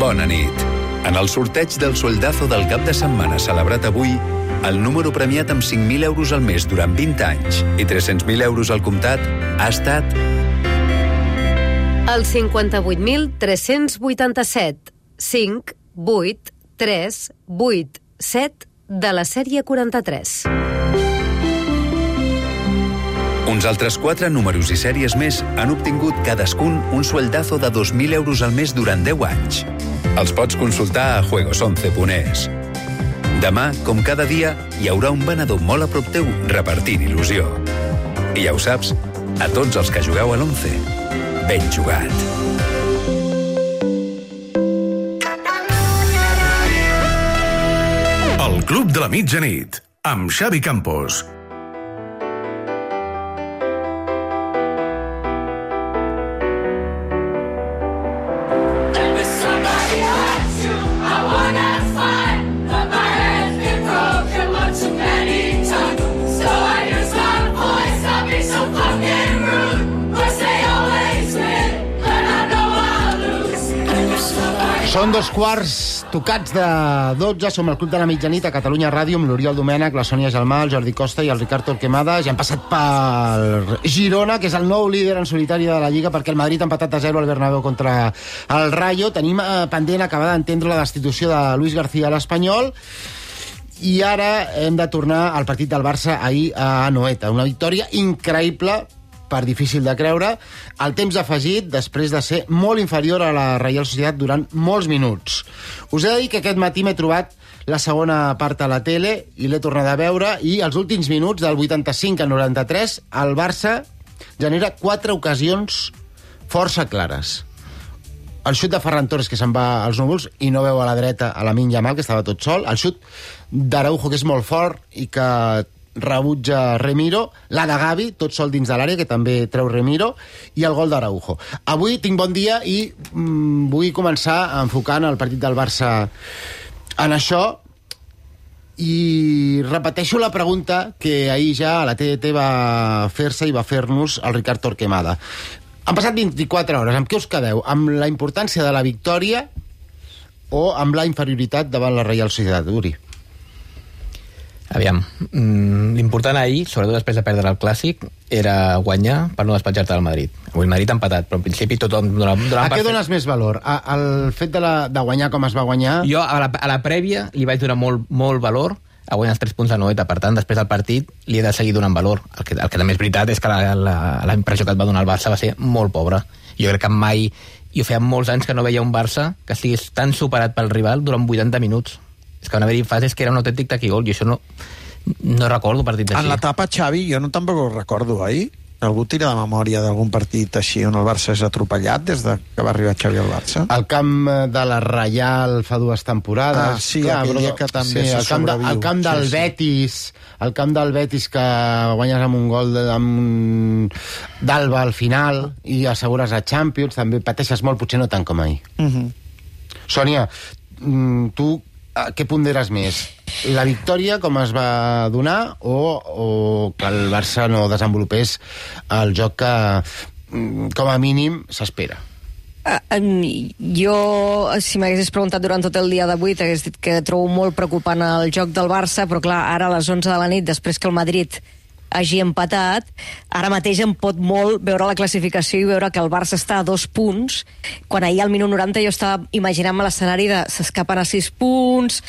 Bona nit. En el sorteig del soldazo del cap de setmana celebrat avui, el número premiat amb 5.000 euros al mes durant 20 anys i 300.000 euros al comptat ha estat... El 58.387. 5, 8, 3, 8, 7 de la sèrie 43. Uns altres 4 números i sèries més han obtingut cadascun un sueldazo de 2.000 euros al mes durant 10 anys. Els pots consultar a juegos11.es. Demà, com cada dia, hi haurà un venedor molt a prop teu repartint il·lusió. I ja ho saps, a tots els que jugueu a l'11, ben jugat. El Club de la Mitjanit, amb Xavi Campos. Són 2 tocats de 12, som el Club de la Mitjanit a Catalunya Ràdio amb l'Oriol Domènech, la Sònia Gelmà, el Jordi Costa i el Ricard Torquemada. Ja han passat pel Girona, que és el nou líder en solitari de la Lliga, perquè el Madrid ha empatat a 0 al Bernabéu contra el Rayo. Tenim pendent acabar d'entendre la destitució de Luis García a l'Espanyol. I ara hem de tornar al partit del Barça ahir a Anoeta. Una victòria increïble, per difícil de creure, el temps afegit després de ser molt inferior a la Reial Societat durant molts minuts. Us he de dir que aquest matí m'he trobat la segona part a la tele i l'he tornat a veure, i els últims minuts, del 85 al 93, el Barça genera 4 ocasions força clares. El xut de Ferran Torres, que se'n va als núvols i no veu a la dreta a Lamine Yamal, que estava tot sol, el xut d'Araujo, que és molt fort i que rebutja Remiro, la de Gavi, tot sol dins de l'àrea, que també treu Remiro, i el gol d'Araujo. Avui tinc bon dia i vull començar enfocant el partit del Barça en això, i repeteixo la pregunta que ahir ja a la TDT va fer-se i va fer-nos el Ricard Torquemada. Han passat 24 hores, amb què us quedeu? Amb la importància de la victòria o amb la inferioritat davant la Reial Societat? Uri. Aviam, l'important ahir, sobretot després de perdre el Clàssic, era guanyar per no despatxar-te al Madrid. Avui el Madrid ha empatat, però en principi tothom... A què dones més valor? Al fet de guanyar com es va guanyar? Jo a la prèvia li vaig donar molt valor a guanyar els 3 punts a Noeta. Per tant, després del partit li he de seguir donant valor. El que també és veritat és que la impressió que et va donar el Barça va ser molt pobra. Jo crec que mai... Jo feia molts anys que no veia un Barça que estigués tan superat pel rival durant 80 minuts. És que van haver-hi fases que era un autèntic taquigol, i això no recordo partits així. En l'etapa, Xavi, jo tampoc ho recordo, oi? Algú tira de memòria d'algun partit així on el Barça és atropellat des que va arribar Xavi al Barça? El camp de la Reial fa 2 temporades. Sí, aquell dia que també se sobreviu. El camp del Betis, el camp del Betis que guanyes amb un gol d'Alba al final i assegures a Champions, també pateixes molt, potser no tant com ahir. Sònia, tu a què ponderes més? La victòria, com es va donar, o que el Barça no desenvolupés el joc que, com a mínim, s'espera? Jo, si m'haguessis preguntat durant tot el dia d'avui, t'hagués dit que trobo molt preocupant el joc del Barça, però clar, ara a les 11 de la nit, després que el Madrid hagi empatat, ara mateix em pot molt veure la classificació i veure que el Barça està a 2 punts, quan ahir al minut 90 jo estava imaginant-me l'escenari de s'escapen a 6 punts,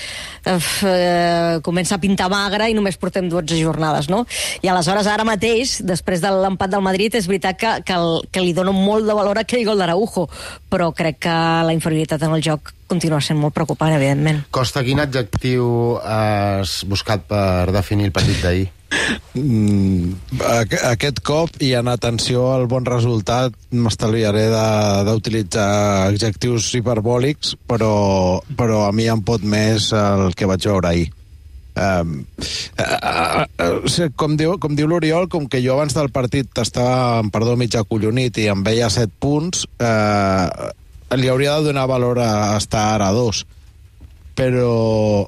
comença a pintar magre i només portem 12 jornades, no? I aleshores ara mateix, després de l'empat del Madrid, és veritat que li dono molt de valor a aquell gol d'Araujo, però crec que la inferioritat en el joc continua sent molt preocupant, evidentment. Costa, quin adjectiu has buscat per definir el partit d'ahir? Aquest cop, i en atenció al bon resultat, m'estalviaré d'utilitzar adjectius hiperbòlics, però a mi em pot més el que vaig veure ahir. Com diu l'Oriol, com que jo abans del partit estava, mig acollonit i em veia 7 punts, li hauria de donar valor a estar ara a 2. Però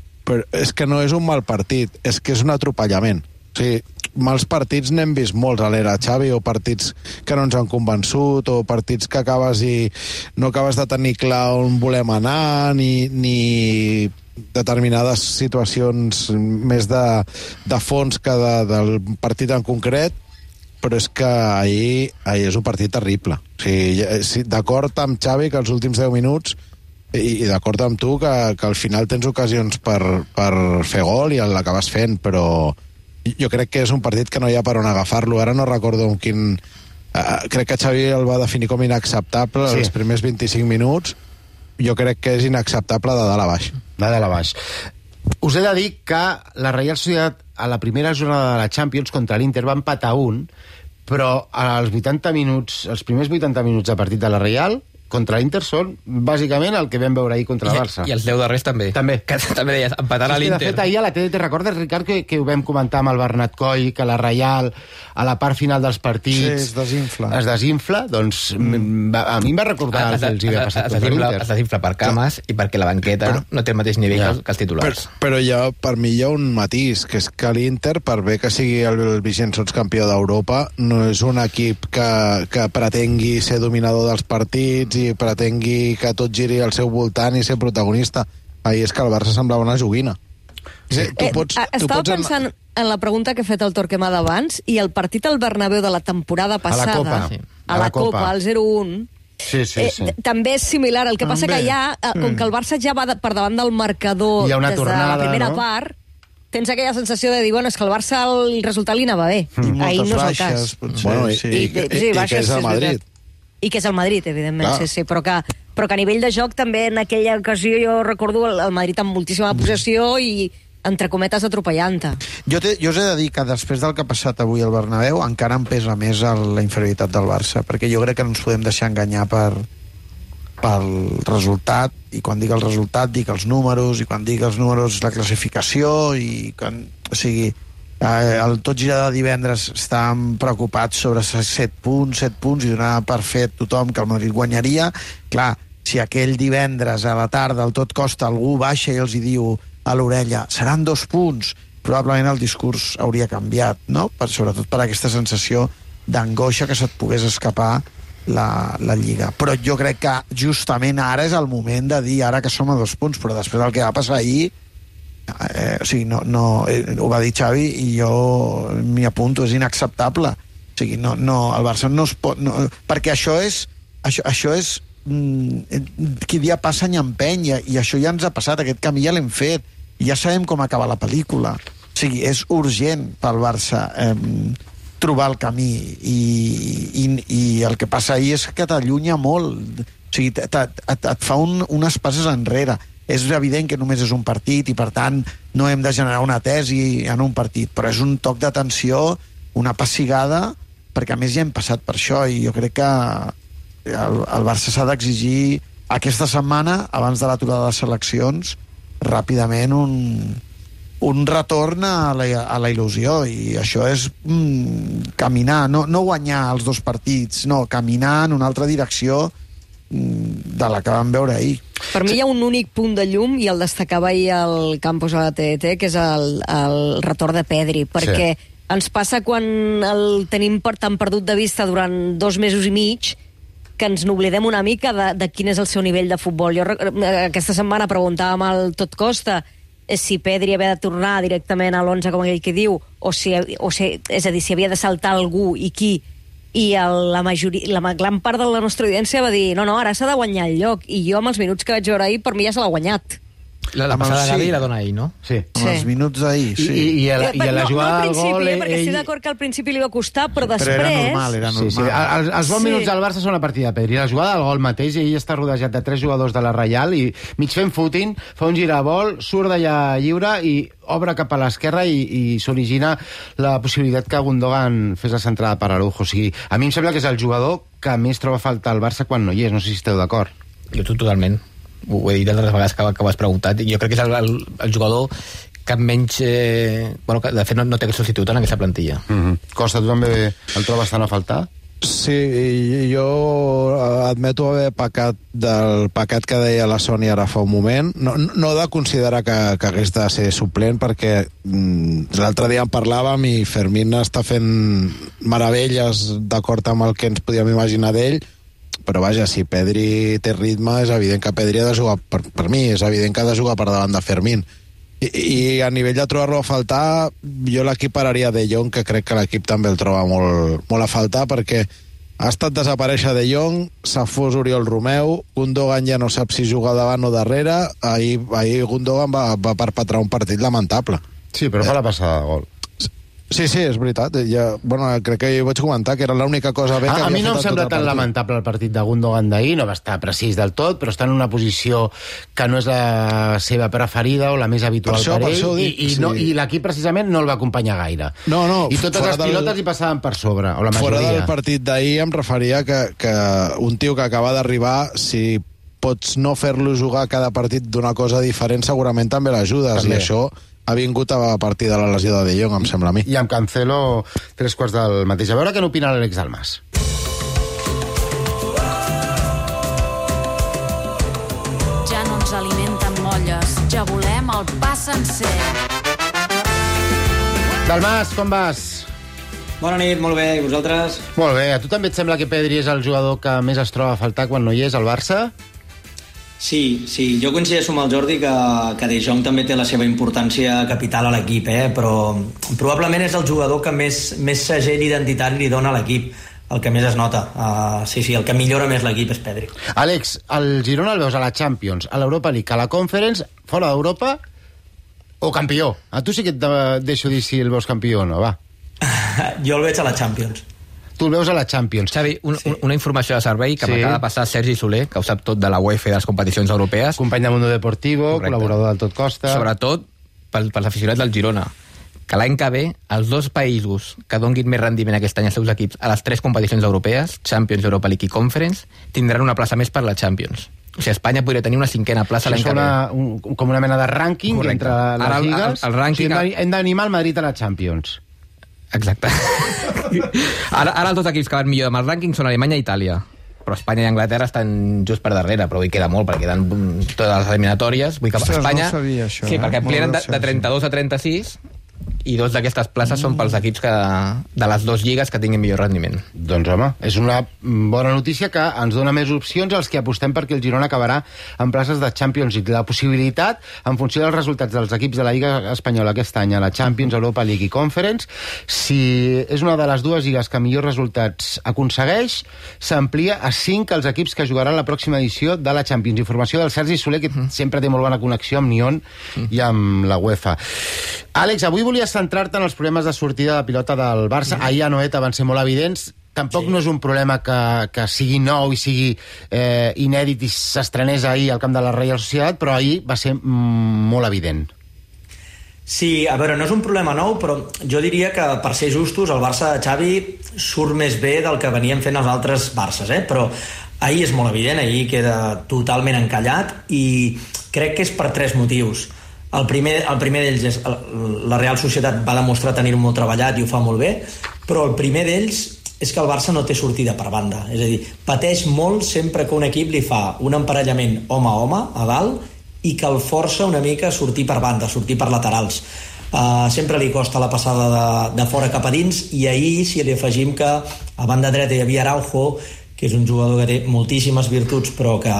és que no és un mal partit, és que és un atropellament. O sigui, mals partits n'hem vist molts a l'era Xavi, o partits que no ens han convençut, o partits que acabes i no acabes de tenir clar on volem anar, ni determinades situacions més de fons que del partit en concret, però és que ahir és un partit terrible. O sigui, d'acord amb Xavi que els últims 10 minuts, i d'acord amb tu que al final tens ocasions per fer gol i l'acabes fent, però jo crec que és un partit que no hi ha per on agafar-lo. Ara no recordo amb quin... crec que Xavi el va definir com inacceptable els primers 25 minuts. Jo crec que és inacceptable de dalt a baix. De dalt a baix. Us he de dir que la Reial Societat a la primera jornada de la Champions contra l'Inter va empatar 1, però als 80 minuts, els primers 80 minuts de partit de la Reial contra l'Inter són bàsicament el que vam veure ahir contra el Barça. I els 10 darrers també. Que també deies, empatant a l'Inter. De fet, ahir a la tele, te recordes, Ricard, que ho vam comentar amb el Bernat Coll, que la Reial, a la part final dels partits... es desinfla. Es desinfla, doncs a mi em va recordar el que els hi havia passat contra l'Inter. Es desinfla per cames i perquè la banqueta no té el mateix nivell que els titulars. Però per mi hi ha un matís, que és que l'Inter, per bé que sigui el vigent sotscampió d'Europa, no és un equip que pretengui ser dominador dels partits i pretengui que tot giri al seu voltant i ser protagonista. Ahir és que el Barça semblava una joguina. Estava pensant en la pregunta que he fet al Torquemada d'abans, i el partit al Bernabéu de la temporada passada, a la Copa, al 0-1, també és similar. El que passa que allà, com que el Barça ja va per davant del marcador des de la primera part, tens aquella sensació de dir, bueno, és que el Barça el resultat li anava bé. Ahir no és el cas. I que és el Madrid. I que és el Madrid, evidentment, sí, però que a nivell de joc també en aquella ocasió jo recordo el Madrid amb moltíssima possessió i entre cometes atropellant-te. Jo us he de dir que després del que ha passat avui al Bernabéu encara em pesa més la inferioritat del Barça, perquè jo crec que no ens podem deixar enganyar pel resultat, i quan dic el resultat dic els números, i quan dic els números la classificació, i quan, o sigui, el tot gira de divendres estàvem preocupats sobre 7 punts i donava per fet tothom que el Madrid guanyaria. Clar, si aquell divendres a la tarda al tot costa algú baixa i els hi diu a l'orella seran 2 punts, probablement el discurs hauria canviat, no? Sobretot per aquesta sensació d'angoixa que se't pogués escapar la Lliga. Però jo crec que justament ara és el moment de dir ara que som a 2 punts, però després del que va passar ahir o sigui, ho va dir Xavi i jo m'hi apunto, és inacceptable. O sigui, el Barça no es pot... perquè això és qui dia passa any empeny, i això ja ens ha passat, aquest camí ja l'hem fet, i ja sabem com acaba la pel·lícula. O sigui, és urgent pel Barça trobar el camí, i el que passa ahir és que t'allunya molt. O sigui, et fa unes passes enrere. És evident que només és un partit i, per tant, no hem de generar una tesi en un partit, però és un toc d'atenció, una pessigada, perquè a més ja hem passat per això, i jo crec que el Barça s'ha d'exigir aquesta setmana, abans de l'aturada de les seleccions, ràpidament un retorn a la il·lusió, i això és caminar, no guanyar els 2 partits, no, caminar en una altra direcció de la que vam veure ahir. Per mi hi ha un únic punt de llum, i el destacava ahir al campus a la TDT, que és el retorn de Pedri, perquè ens passa quan el tenim tan perdut de vista durant 2 mesos i mig, que ens n'oblidem una mica de quin és el seu nivell de futbol. Jo aquesta setmana preguntàvem al Tot Costa si Pedri havia de tornar directament a l'11 com aquell que diu, o si, és a dir, si havia de saltar algú i qui, i la gran part de la nostra audiència va dir no, ara s'ha de guanyar el lloc, i jo amb els minuts que vaig veure ahir, per mi ja se l'ha guanyat. La passada de Gavi la dona ahir, no? Sí. Amb els minuts d'ahir, sí. I a la jugada del gol... Perquè estic d'acord que al principi li va costar, però després... Però era normal. Sí. Els bons minuts del Barça són a partir de Pedri. La jugada del gol mateix, ell està rodejat de 3 jugadors de la Reial i mig fent footing, fa un giravol, surt d'allà lliure i obre cap a l'esquerra i s'origina la possibilitat que Gundogan fes la centrada per Araujo. O sigui, a mi em sembla que és el jugador que més troba a faltar al Barça quan no hi és. No sé si esteu d'acord. Jo totalment. Ho he dit altres vegades que ho has preguntat. Jo crec que és el jugador que menys... bueno, que de fet no té substitut en aquesta plantilla. Costa, tu també el trobes tant a faltar? Sí, jo admeto haver pecat del pecat que deia la Sònia ara fa un moment. No de considerar que hagués de ser suplent, perquè l'altre dia en parlàvem i Fermín està fent meravelles d'acord amb el que ens podíem imaginar d'ell, però vaja, si Pedri té ritme, és evident que Pedri ha de jugar, per mi, és evident que ha de jugar per davant de Fermín. I a nivell de trobar-lo a faltar, jo l'equipararia De Jong, que crec que l'equip també el troba molt a faltar, perquè ha estat desaparèixer De Jong, s'ha fos Oriol Romeu, Gundogan ja no sap si juga davant o darrere, ahir Gundogan va perpetrar un partit lamentable. Sí, però fa la passada de gol. Sí, és veritat. Crec que ho vaig comentar, que era l'única cosa bé que havia fet. A mi no em sembla tan lamentable el partit de Gundogan d'ahir, no va estar precís del tot, però està en una posició que no és la seva preferida o la més habitual per ell, i l'equip precisament no el va acompanyar gaire. No, i totes les pilotes hi passaven per sobre, o la majoria. Fora del partit d'ahir em referia que un tio que acaba d'arribar, si pots no fer-lo jugar cada partit d'una cosa diferent, segurament també l'ajudes, i això ha vingut a partir de la lesió de De Jong, em sembla a mi. I amb Cancelo 3/4 del mateix. A veure què n'opina l'Àlex Dalmas. Ja no ens alimenten molles, ja volem el pa sencer. Dalmas, com vas? Bona nit, molt bé, i vosaltres? Molt bé, a tu també et sembla que Pedri és el jugador que més es troba a faltar quan no hi és al Barça? Sí, jo coincideixo amb el Jordi que De Jong també té la seva importància capital a l'equip, però probablement és el jugador que més segell identitari li dona a l'equip, el que més es nota. Sí, el que millora més l'equip és Pedri. Àlex, el Girona el veus a la Champions, a l'Europa League, a la Conference, fora d'Europa, o campió? A tu sí que et deixo dir si el veus campió o no, va. Jo el veig a la Champions. Tu el veus a la Champions. Xavi, una informació de servei que m'acaba de passar Sergi Soler, que ho sap tot de la UEFA i de les competicions europees. Company de Mundo Deportivo, correcte, col·laborador del Tot Costa. Sobretot pels aficionats del Girona, que l'any que ve els dos països que donguin més rendiment aquest any als seus equips a les 3 competicions europees, Champions, Europa League i Conference, tindran una plaça més per la Champions. O sigui, Espanya podria tenir una 5a plaça l'any que ve. Com una mena de rànquing entre les lligues. El rànquing... O sigui, hem d'animar el Madrid a la Champions. Exacte. Ara els dos equips que van millor amb el rànquing són Alemanya i Itàlia, però Espanya i Anglaterra estan just per darrere, però avui queda molt perquè queden totes les eliminatòries. Vull que Espanya, no sabia, això, sí, perquè amplien de 32 a 36 i 2 d'aquestes places són pels equips de les 2 lligues que tinguin millor rendiment. Doncs home, és una bona notícia que ens dona més opcions als que apostem perquè el Girona acabarà en places de Champions League. La possibilitat, en funció dels resultats dels equips de la Lliga Espanyola aquest any, a la Champions, Europa League i Conference, si és una de les 2 lligues que millors resultats aconsegueix, s'amplia a 5 els equips que jugaran la pròxima edició de la Champions. Informació del Sergi Soler, que sempre té molt bona connexió amb Nyon i amb la UEFA. Àlex, avui volies centrar-te en els problemes de sortida de pilota del Barça. Ahir a Noeta van ser molt evidents. Tampoc no és un problema que sigui nou i sigui inèdit i s'estrenés ahir al camp de la Reial Societat, però ahir va ser molt evident. Sí, a veure, no és un problema nou, però jo diria que, per ser justos, el Barça de Xavi surt més bé del que venien fent els altres Barces, però ahir és molt evident, ahir queda totalment encallat i crec que és per 3 motius. El primer d'ells és la Real Societat va demostrar tenir-ho molt treballat i ho fa molt bé, però el primer d'ells és que el Barça no té sortida per banda, és a dir, pateix molt sempre que un equip li fa un emparellament home a home a dalt i que el força una mica a sortir per banda, a sortir per laterals. Sempre li costa la passada de fora cap a dins, i ahir, si li afegim que a banda dreta hi havia Araujo, que és un jugador que té moltíssimes virtuts però que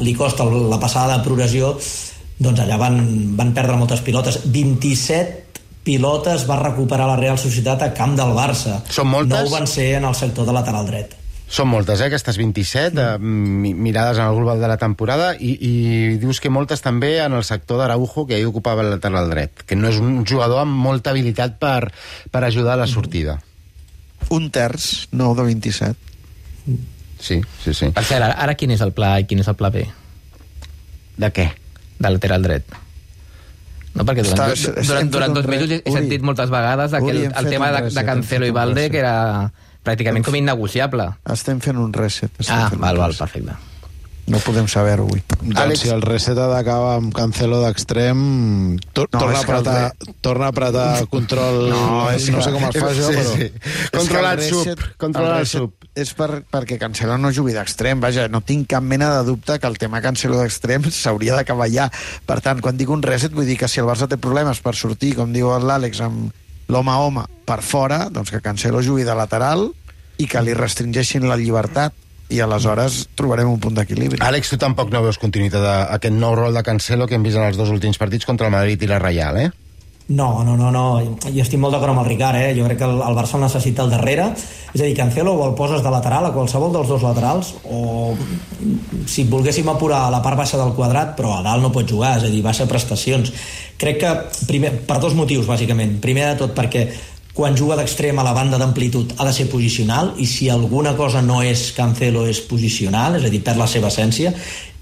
li costa la passada de progressió, doncs allà van perdre moltes pilotes. 27 pilotes va recuperar la Real Societat a camp del Barça. Són moltes? 9 van ser en el sector de lateral dret. Són moltes, aquestes 27, mirades en el global de la temporada, i dius que moltes també en el sector d'Araujo, que ahir ocupava el lateral dret, que no és un jugador amb molta habilitat per ajudar a la sortida. Un terç, 9 de 27. Sí. Per cert, ara quin és el pla A i quin és el pla B? De què? De lateral dret. No, perquè durant 2 mesos he sentit moltes vegades el tema de Cancelo i Valde, que era pràcticament com innegociable. Estem fent un reset. Val, perfecte. No podem saber-ho avui. Doncs si el reset ha d'acabar amb Cancelo d'extrem, torna a apretar control... No sé com es fa això, però... Controlar sub. És perquè Cancelo no jugui d'extrem. Vaja, no tinc cap mena de dubte que el tema Cancelo d'extrem s'hauria d'acabar ja. Per tant, quan dic un reset, vull dir que si el Barça té problemes per sortir, com diu l'Àlex, amb l'home a home per fora, doncs que Cancelo jugui de lateral i que li restringeixin la llibertat, i aleshores trobarem un punt d'equilibri. Àlex, tu tampoc no veus continuïtat d'aquest nou rol de Cancelo que hem vist en els 2 últims partits contra el Madrid i la Reial, eh? No. Jo estic molt d'acord amb el Ricard, eh? Jo crec que el Barça el necessita al darrere. És a dir, Cancelo o el poses de lateral a qualsevol dels 2 laterals, o si volguéssim apurar a la part baixa del quadrat, però a dalt no pot jugar, és a dir, baixa prestacions. Crec que, primer, per 2 motius, bàsicament. Primer de tot perquè quan juga d'extrem a la banda d'amplitud ha de ser posicional, i si alguna cosa no és Cancelo és posicional, és a dir, perd la seva essència,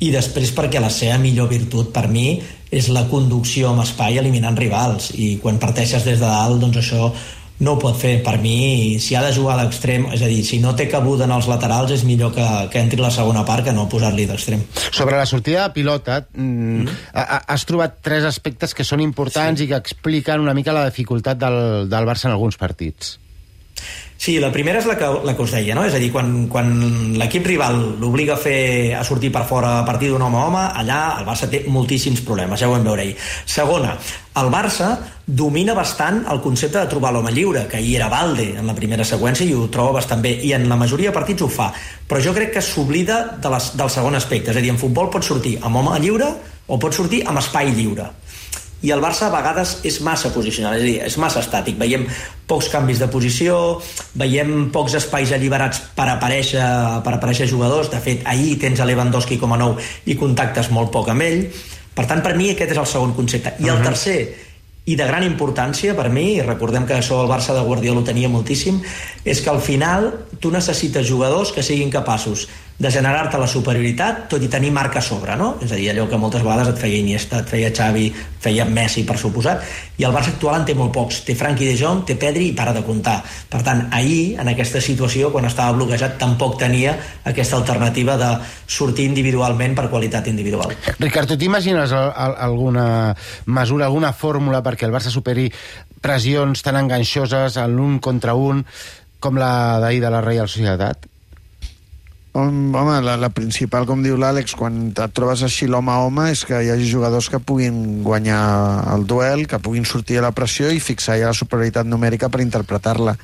i després perquè la seva millor virtut per mi és la conducció amb espai eliminant rivals, i quan parteixes des de dalt, doncs això no ho pot fer. Per mi, si ha de jugar a l'extrem, és a dir, si no té cabuda en els laterals, és millor que entri la segona part que no posar-li d'extrem. Sobre la sortida de pilota, has trobat 3 aspectes que són importants i que expliquen una mica la dificultat del Barça en alguns partits. Sí, la primera és la que us deia, no? És a dir, quan l'equip rival l'obliga a sortir per fora a partir d'un home a home, allà el Barça té moltíssims problemes, ja ho vam veure ahir. Segona, el Barça domina bastant el concepte de trobar l'home lliure, que ahir era Valde en la primera seqüència i ho troba bastant bé, i en la majoria de partits ho fa, però jo crec que s'oblida del segon aspecte, és a dir, en futbol pot sortir amb home lliure o pot sortir amb espai lliure. I el Barça a vegades és massa posicional, és a dir, és massa estàtic. Veiem pocs canvis de posició, veiem pocs espais alliberats per aparèixer jugadors. De fet, ahir tens a Lewandowski com a nou i contactes molt poc amb ell. Per tant, per mi aquest és el segon concepte. I el tercer, i de gran importància per mi, i recordem que això el Barça de Guardiola ho tenia moltíssim, és que al final tu necessites jugadors que siguin capaços de generar-te la superioritat, tot i tenir marca a sobre, no? És a dir, allò que moltes vegades et feia Iniesta, et feia Xavi, et feia Messi, per suposat, i el Barça actual en té molt pocs. Té Frenkie de Jong, té Pedri i para de comptar. Per tant, ahir, en aquesta situació, quan estava bloquejat, tampoc tenia aquesta alternativa de sortir individualment per qualitat individual. Ricard, tu t'imagines alguna mesura, alguna fórmula perquè el Barça superi pressions tan enganxoses en l'un contra un com la d'ahir de la Real Societat? Home, la principal, com diu l'Àlex, quan et trobes així l'home a home, és que hi hagi jugadors que puguin guanyar el duel, que puguin sortir a la pressió i fixar ja la superioritat numèrica per interpretar-la.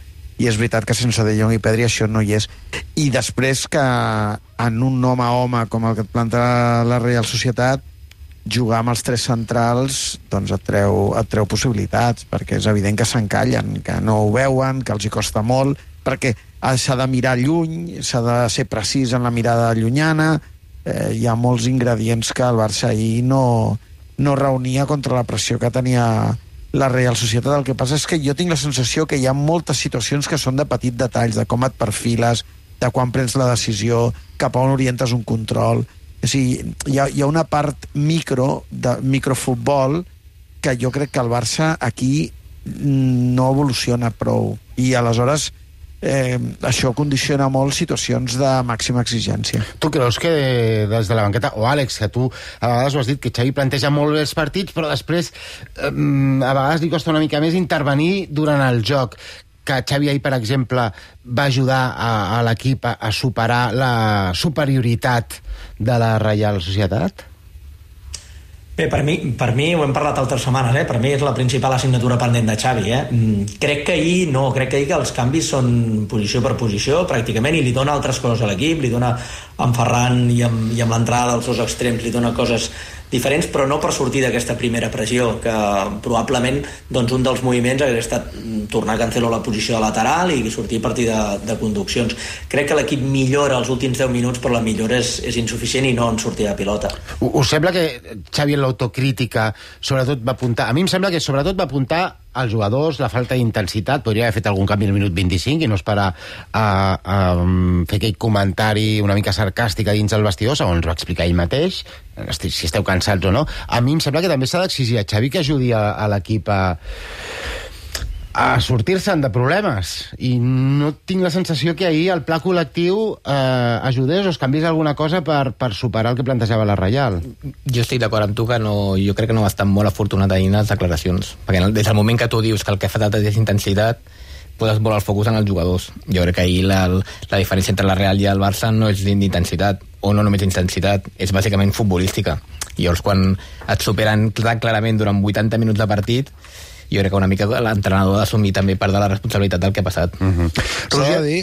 I és veritat que sense De Jong i Pedri això no hi és. I després que en un home a home com el que et planta la Real Societat, jugar amb els 3 centrals doncs et treu possibilitats, perquè és evident que s'encallen, que no ho veuen, que els hi costa molt, perquè s'ha de mirar lluny, s'ha de ser precís en la mirada llunyana, hi ha molts ingredients que el Barça ahir no reunia contra la pressió que tenia la Real Societat. El que passa és que jo tinc la sensació que hi ha moltes situacions que són de petits detalls, de com et perfiles, de quan prens la decisió, cap a on orientes un control. O sigui, hi ha una part de microfutbol que jo crec que el Barça aquí no evoluciona prou. I aleshores això condiciona molt situacions de màxima exigència. Tu creus que des de la banqueta, o Àlex, que tu a vegades ho has dit, que Xavi planteja molt bé els partits, però després a vegades li costa una mica més intervenir durant el joc, que Xavi ahir, per exemple, va ajudar a l'equip a superar la superioritat de la Reial Societat? Bé, per mi ho hem parlat altres setmanes, per mi és la principal assignatura pendent de Xavi. Crec que ahir que els canvis són posició per posició, pràcticament, i li dona altres coses a l'equip, li dona amb Ferran i amb l'entrada dels seus extrems, li dona coses diferents, però no per sortir d'aquesta primera pressió, que probablement doncs, un dels moviments hauria estat tornar a Cancelo a la posició de lateral i sortir a partir de conduccions. Crec que l'equip millora els últims 10 minuts, però la millora és insuficient i no en sortir de pilota. Us sembla que Xavi en l'autocrítica sobretot va apuntar... A mi em sembla que sobretot va apuntar als jugadors, la falta d'intensitat, podria haver fet algun canvi al minut 25 i no esperar a fer aquell comentari una mica sarcàstic dins del vestidor, segons va explicar ell mateix, si esteu cansats o no. A mi em sembla que també s'ha d'exigir a Xavi que ajudi a l'equip a sortir-se'n de problemes, i no tinc la sensació que ahir el pla col·lectiu ajudés o es canviés alguna cosa per superar el que plantejava la Reial. Jo estic d'acord amb tu que jo crec que no va estar molt afortunat ahir en les declaracions, perquè des del moment que tu dius que el que fa falta és intensitat, poses molt el focus en els jugadors. Jo crec que ahir la diferència entre la Real i el Barça no és d'intensitat, o no només d'intensitat, és bàsicament futbolística. I llavors quan et superen clarament durant 80 minuts de partit, jo crec que una mica l'entrenador ha d'assumir també part de la responsabilitat del que ha passat. S'ha de dir,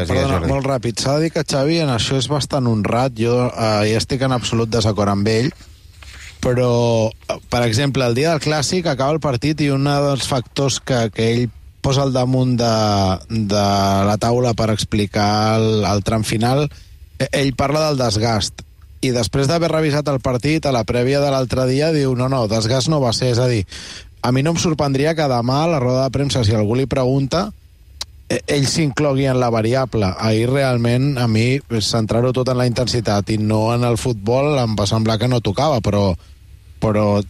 perdona, molt ràpid, s'ha de dir que Xavi en això és bastant honrat. Jo hi estic en absolut desacord amb ell, però, per exemple, el dia del Clàssic acaba el partit i un dels factors que ell posa al damunt de la taula per explicar el tram final, ell parla del desgast, i després d'haver revisat el partit a la prèvia de l'altre dia diu no, desgast no va ser, és a dir, a mi no em sorprendria que demà a la roda de premsa, si algú li pregunta, ell s'inclogui en la variable. Ahir realment a mi centrar-ho tot en la intensitat i no en el futbol em va semblar que no tocava, però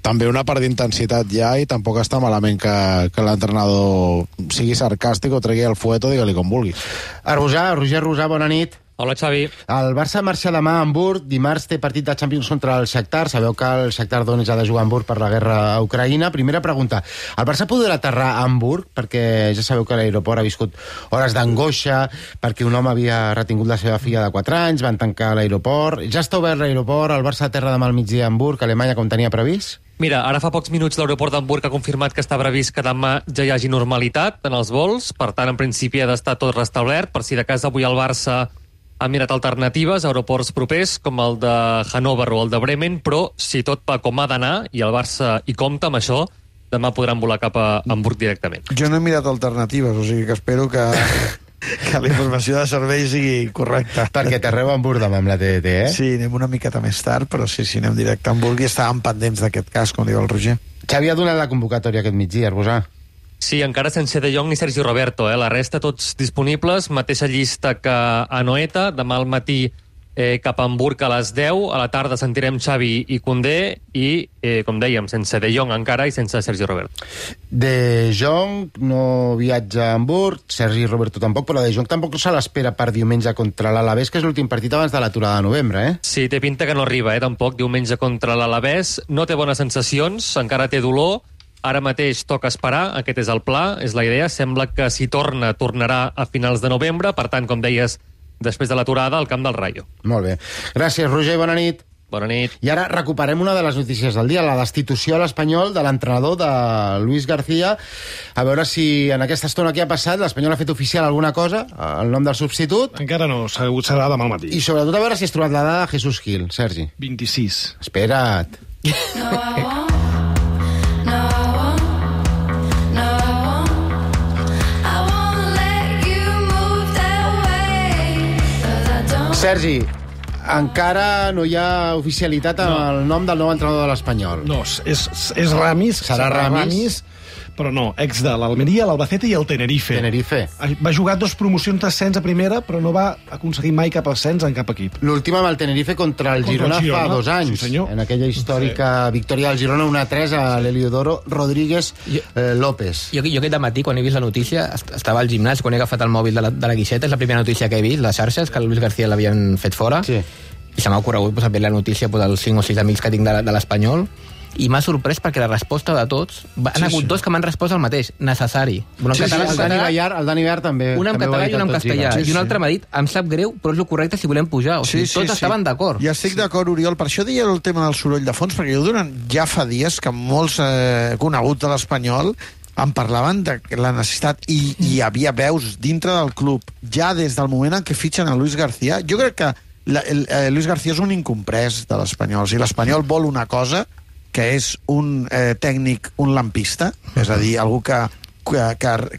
també una part d'intensitat ja, i tampoc està malament que l'entrenador sigui sarcàstic o tregui el fuet o digue-li com vulguis. Roger Rosà, bona nit. Hola, Xavi. El Barça marxa demà a Hamburg. Dimarts té partit de Champions contra el Shakhtar. Sabeu que el Shakhtar Donetsk ha de jugar a Hamburg per la guerra a Ucraïna. Primera pregunta. El Barça podrà aterrar a Hamburg? Perquè ja sabeu que l'aeroport ha viscut hores d'angoixa perquè un home havia retingut la seva filla de 4 anys, van tancar l'aeroport. Ja està obert l'aeroport, el Barça aterra demà al migdia a Hamburg, Alemanya, com tenia previst? Mira, ara fa pocs minuts l'aeroport d'Hamburg ha confirmat que està previst que demà ja hi hagi normalitat en els vols, per tant, en principi ha d'estar tot restablert, per si de cas avui el Barça ha mirat alternatives a aeroports propers com el de Hannover o el de Bremen, però si tot va com ha d'anar i el Barça hi compta amb això, demà podran volar cap a Hamburg directament. Jo no he mirat alternatives, o sigui que espero que la informació de servei sigui correcta. Perquè t'arreu a Hamburg demà amb la TDT, eh? Sí, anem una miqueta més tard, però sí, anem directe a Hamburg i estàvem pendents d'aquest cas, com diu el Roger. Xavi ha donat la convocatòria aquest migdia, Arbosà. Sí, encara sense De Jong ni Sergi Roberto, la resta tots disponibles, mateixa llista que a Noeta, demà al matí cap a Hamburg a les 10, a la tarda sentirem Xavi i Koundé i, com dèiem, sense De Jong encara i sense Sergi Roberto. De Jong no viatja a Hamburg, Sergi Roberto tampoc, però De Jong tampoc se l'espera per diumenge contra l'Alavés, que és l'últim partit abans de l'aturada de novembre, eh? Sí, té pinta que no arriba, tampoc, diumenge contra l'Alavés, no té bones sensacions, encara té dolor. Ara mateix toca esperar, aquest és el pla, és la idea. Sembla que si tornarà a finals de novembre, per tant, com deies, després de l'aturada al camp del Rayo. Molt bé. Gràcies, Roger, bona nit. Bona nit. I ara recuperem una de les notícies del dia, la destitució a l'Espanyol de l'entrenador de Luis García. A veure si en aquesta estona que ha passat l'Espanyol ha fet oficial alguna cosa, el nom del substitut. Encara no, serà demà al matí. I sobretot a veure si has trobat la dada de Jesús Gil, Sergi. 26. Espera't. Sergi, encara no hi ha oficialitat amb el nom del nou entrenador de l'Espanyol. No, és Ramis. Serà Ramis. Però no, ex de l'Almeria, l'Albacete i el Tenerife. Va jugar 2 promocions d'ascens a primera, però no va aconseguir mai cap ascens en cap equip. L'última amb el Tenerife contra el Girona fa 2 anys. Sí, en aquella històrica victòria del Girona 1-3 a l'Heliodoro Rodríguez López. Jo aquest dematí, quan he vist la notícia, estava al gimnàs, quan he agafat el mòbil de la guixeta, és la primera notícia que he vist, les xarxes, que el Luis García l'havien fet fora, i se m'ha ocorregut veure la notícia als 5 o 6 amics que tinc de l'Espanyol, i m'ha sorprès perquè la resposta de tots han hagut 2 que m'han respost el mateix, necessari. El Dani Bert també. Un en català i un en castellà. I un altre m'ha dit, em sap greu, però és el correcte si volem pujar. O sigui, tots estaven d'acord. Ja estic d'acord, Oriol. Per això deia el tema del soroll de fons, perquè ja fa dies que molts coneguts de l'Espanyol em parlaven de la necessitat i hi havia veus dintre del club ja des del moment en què fitxen a Luis García. Jo crec que Luis García és un incomprès de l'Espanyol. Si l'Espanyol vol una cosa, que és un tècnic, un lampista, és a dir, algú que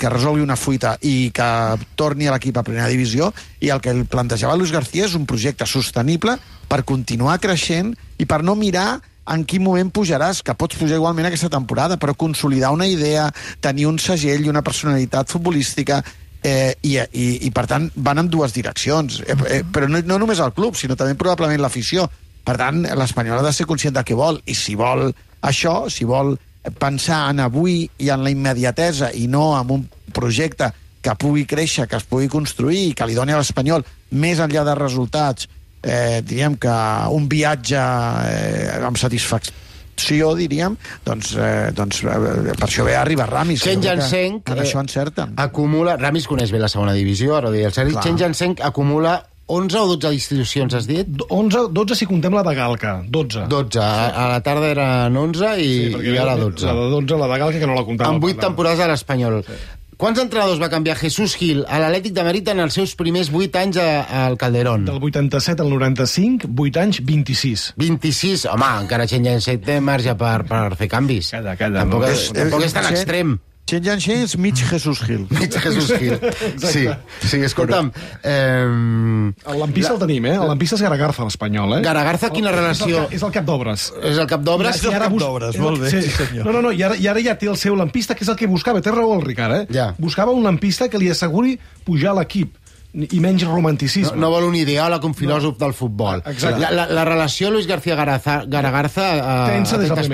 resolgui una fuita i que torni a l'equip a primera divisió, i el que plantejava Luis García és un projecte sostenible per continuar creixent i per no mirar en quin moment pujaràs, que pots pujar igualment aquesta temporada, però consolidar una idea, tenir un segell i una personalitat futbolística, i per tant van en dues direccions, però no només el club, sinó també probablement l'afició. Per tant, l'Espanyol ha de ser conscient de què vol, i si vol això, si vol pensar en avui i en la immediatesa i no en un projecte que pugui créixer, que es pugui construir i que li doni a l'Espanyol més enllà de resultats, diríem que un viatge amb satisfacció, diríem, doncs per això ve a arribar Ramis. Chen Jansen això encerten. Acumula, Ramis coneix bé la segona divisió, ara ho deia el Sergi. Chen Jansen acumula 11 o 12 distribucions, has dit? 12 si contem la de Galca, 12. 12, a la tarda eren 11 i ara 12. La de 12, la de Galca, que no la comptava. En 8 temporades a l'Espanyol. Sí. Quants entrenadors va canviar Jesús Gil a l'Atlètic de Madrid en els seus primers 8 anys al Calderón? Del 87 al 95, 8 anys, 26. 26? Home, encara Chen Jansen té marge per fer canvis. Calla. Tampoc és tan extrem. Chen Jansen és mig Jesús Gil. Mig Jesús Gil. Sí, escolta'm... El lampista el tenim, El lampista és Garagarza, l'Espanyol, Garagarza, quina relació? És el cap d'obres. És el cap d'obres? És el cap d'obres, molt bé, sí senyor. No, i ara ja té el seu lampista, que és el que buscava. Té raó el Ricard, Ja. Buscava un lampista que li asseguri pujar a l'equip i menys romanticisme. No vol un ideòleg, un filòsof del futbol. Exacte. La relació Luis García-Garagarza tensa des del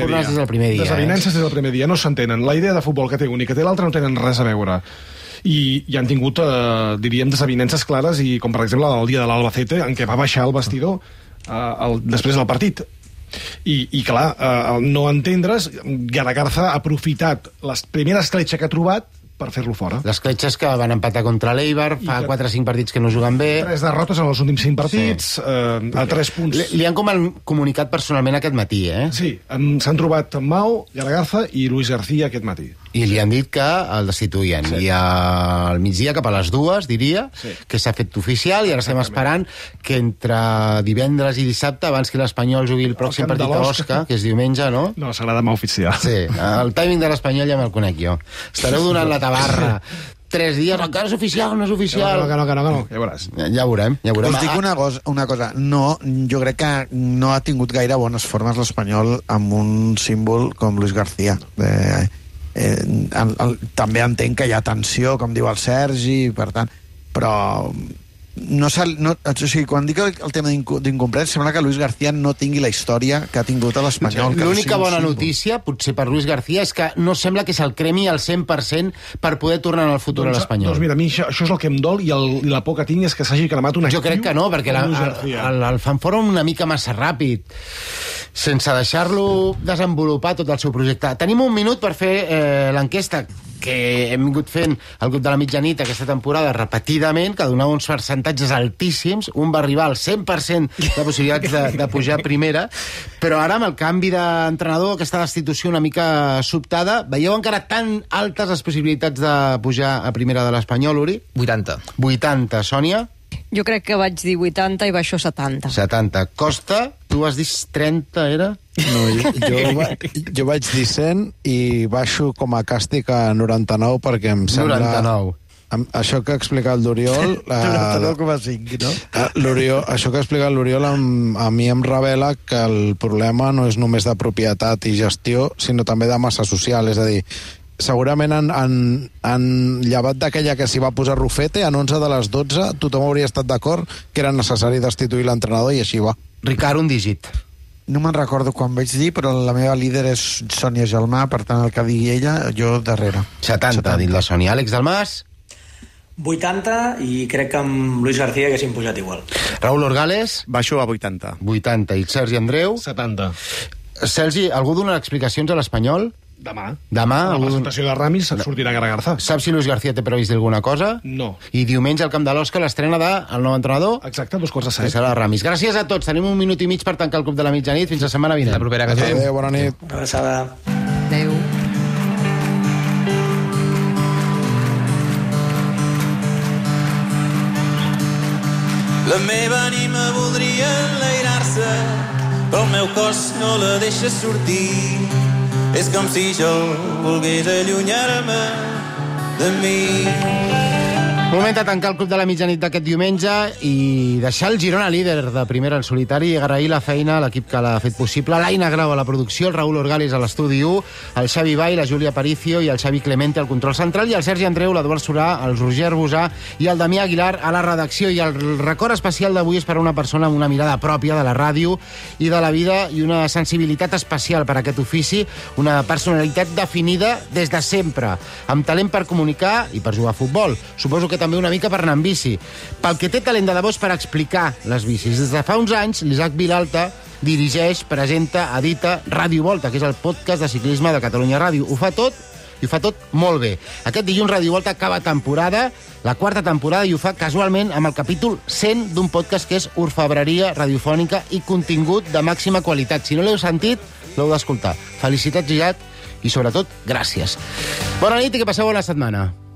primer dia. Desavinences des del primer dia, no s'entenen. La idea de futbol que té un i que té l'altre no tenen res a veure. I han tingut, diríem, desavinences clares, i com per exemple el dia de l'Albacete, en què va baixar el vestidor després del partit. I clar, al no entendre's, Garagarza ha aprofitat la primera escletxa que ha trobat per fer-lo fora. Les cletxes que van empatar contra l'Eibar, fa 4 o 5 partits que no juguen bé. 3 derrotes en els últims 5 partits, a 3 punts. Li han comunicat personalment aquest matí, Sí, s'han trobat Mao, Garagarza i Luis García aquest matí. I li han dit que el destituïen. Sí. I al migdia, cap a les 2, diria, que s'ha fet oficial, i ara estem esperant que entre divendres i dissabte, abans que l'Espanyol jugui el pròxim partit a Osca, que és diumenge, no? No, serà demà oficial. Sí, el timing de l'Espanyol ja me'l conec jo. Estareu donant la tabarra 3 dies, encara és oficial, no és oficial. Que no, ja veuràs. Ja veurem. Us dic una cosa, no, jo crec que no ha tingut gaire bones formes l'Espanyol amb un símbol com Luis García. També entenc que hi ha tensió, com diu el Sergi, per tant, però quan dic el tema d'incomprès, sembla que Luis García no tingui la història que ha tingut a l'Espanyol. L'única bona notícia, potser per Luis García, és que no sembla que se'l cremi al 100% per poder tornar en el futur a l'Espanyol. Doncs mira, a mi això és el que em dol, i la por que tinc és que s'hagi cremat un actiu. Jo crec que no, perquè el fan fora una mica massa ràpid, sense deixar-lo desenvolupar tot el seu projecte. Tenim un minut per fer l'enquesta que hem vingut fent al grup de la mitjanit aquesta temporada repetidament, que donava uns percentatges altíssims. Un va arribar al 100% de possibilitats de pujar a primera, però ara amb el canvi d'entrenador, aquesta destitució una mica sobtada, veieu encara tan altes les possibilitats de pujar a primera de l'Espanyol, Uri? 80, Sònia? Jo crec que vaig dir 80 i baixo 70. 70. Costa, tu has dit 30, era? No, jo vaig dir 100 i baixo com a càstig a 99 perquè em sembla... 99. Això que ha explicat l'Oriol... 99,5, no? Això que ha explicat l'Oriol a mi em revela que el problema no és només de propietat i gestió, sinó també de massa social, és a dir, segurament han llevat d'aquella que s'hi va posar Rufete, en 11 de les 12 tothom hauria estat d'acord que era necessari destituir l'entrenador, i així va. Ricard, un dígit. No me'n recordo quan vaig dir, però la meva líder és Sònia Gelmà, per tant el que digui ella, jo darrere. 70, ha dit la Sònia. Àlex Dalmas? 80, i crec que amb Luis García haguéssim pujat igual. Raúl Orgales? Baixo a 80. 80. I Sergi Andreu? 70. Sergi, algú dona explicacions a l'Espanyol? Demà. La presentació de Ramis sortirà Garagarza. Saps si Luis García té previst alguna cosa? No. I diumenge al Camp de l'Osca l'estrena del nou entrenador? Exacte, 2:07. Que serà Ramis. Gràcies a tots. Tenim un minut i mig per tancar el Club de la Mitjanit. Fins la setmana vinent. La propera que Adéu, bona nit. Abraçada. Adéu. La meva ànima voldria enlairar-se, però el meu cos no la deixa sortir. És com si jo volgués allunyar-me de mi. Moment de tancar el Club de la Mitjanit d'aquest diumenge i deixar el Girona líder de primera en solitari i agrair la feina a l'equip que l'ha fet possible, l'Aina Grau a la producció, el Raül Orgalis a l'estudi 1, el Xavi Vall, la Júlia Aparicio i el Xavi Clemente al control central i el Sergi Andreu, l'Eduard Surà, el Roger Bosà i el Damià Aguilar a la redacció. I el record especial d'avui és per a una persona amb una mirada pròpia de la ràdio i de la vida i una sensibilitat especial per a aquest ofici, una personalitat definida des de sempre, amb talent per comunicar i per jugar a futbol. Suposo que també una mica per anar amb bici. Pel que té talent de debò és per explicar les bicis. Des de fa uns anys, l'Isaac Vilalta dirigeix, presenta, edita Ràdio Volta, que és el podcast de ciclisme de Catalunya Ràdio. Ho fa tot i ho fa tot molt bé. Aquest dilluns Ràdio Volta acaba temporada, la quarta temporada, i ho fa casualment amb el capítol 100 d'un podcast que és orfebreria radiofònica i contingut de màxima qualitat. Si no l'heu sentit, l'heu d'escoltar. Felicitats, Isaac, i sobretot, gràcies. Bona nit i que passeu bona setmana.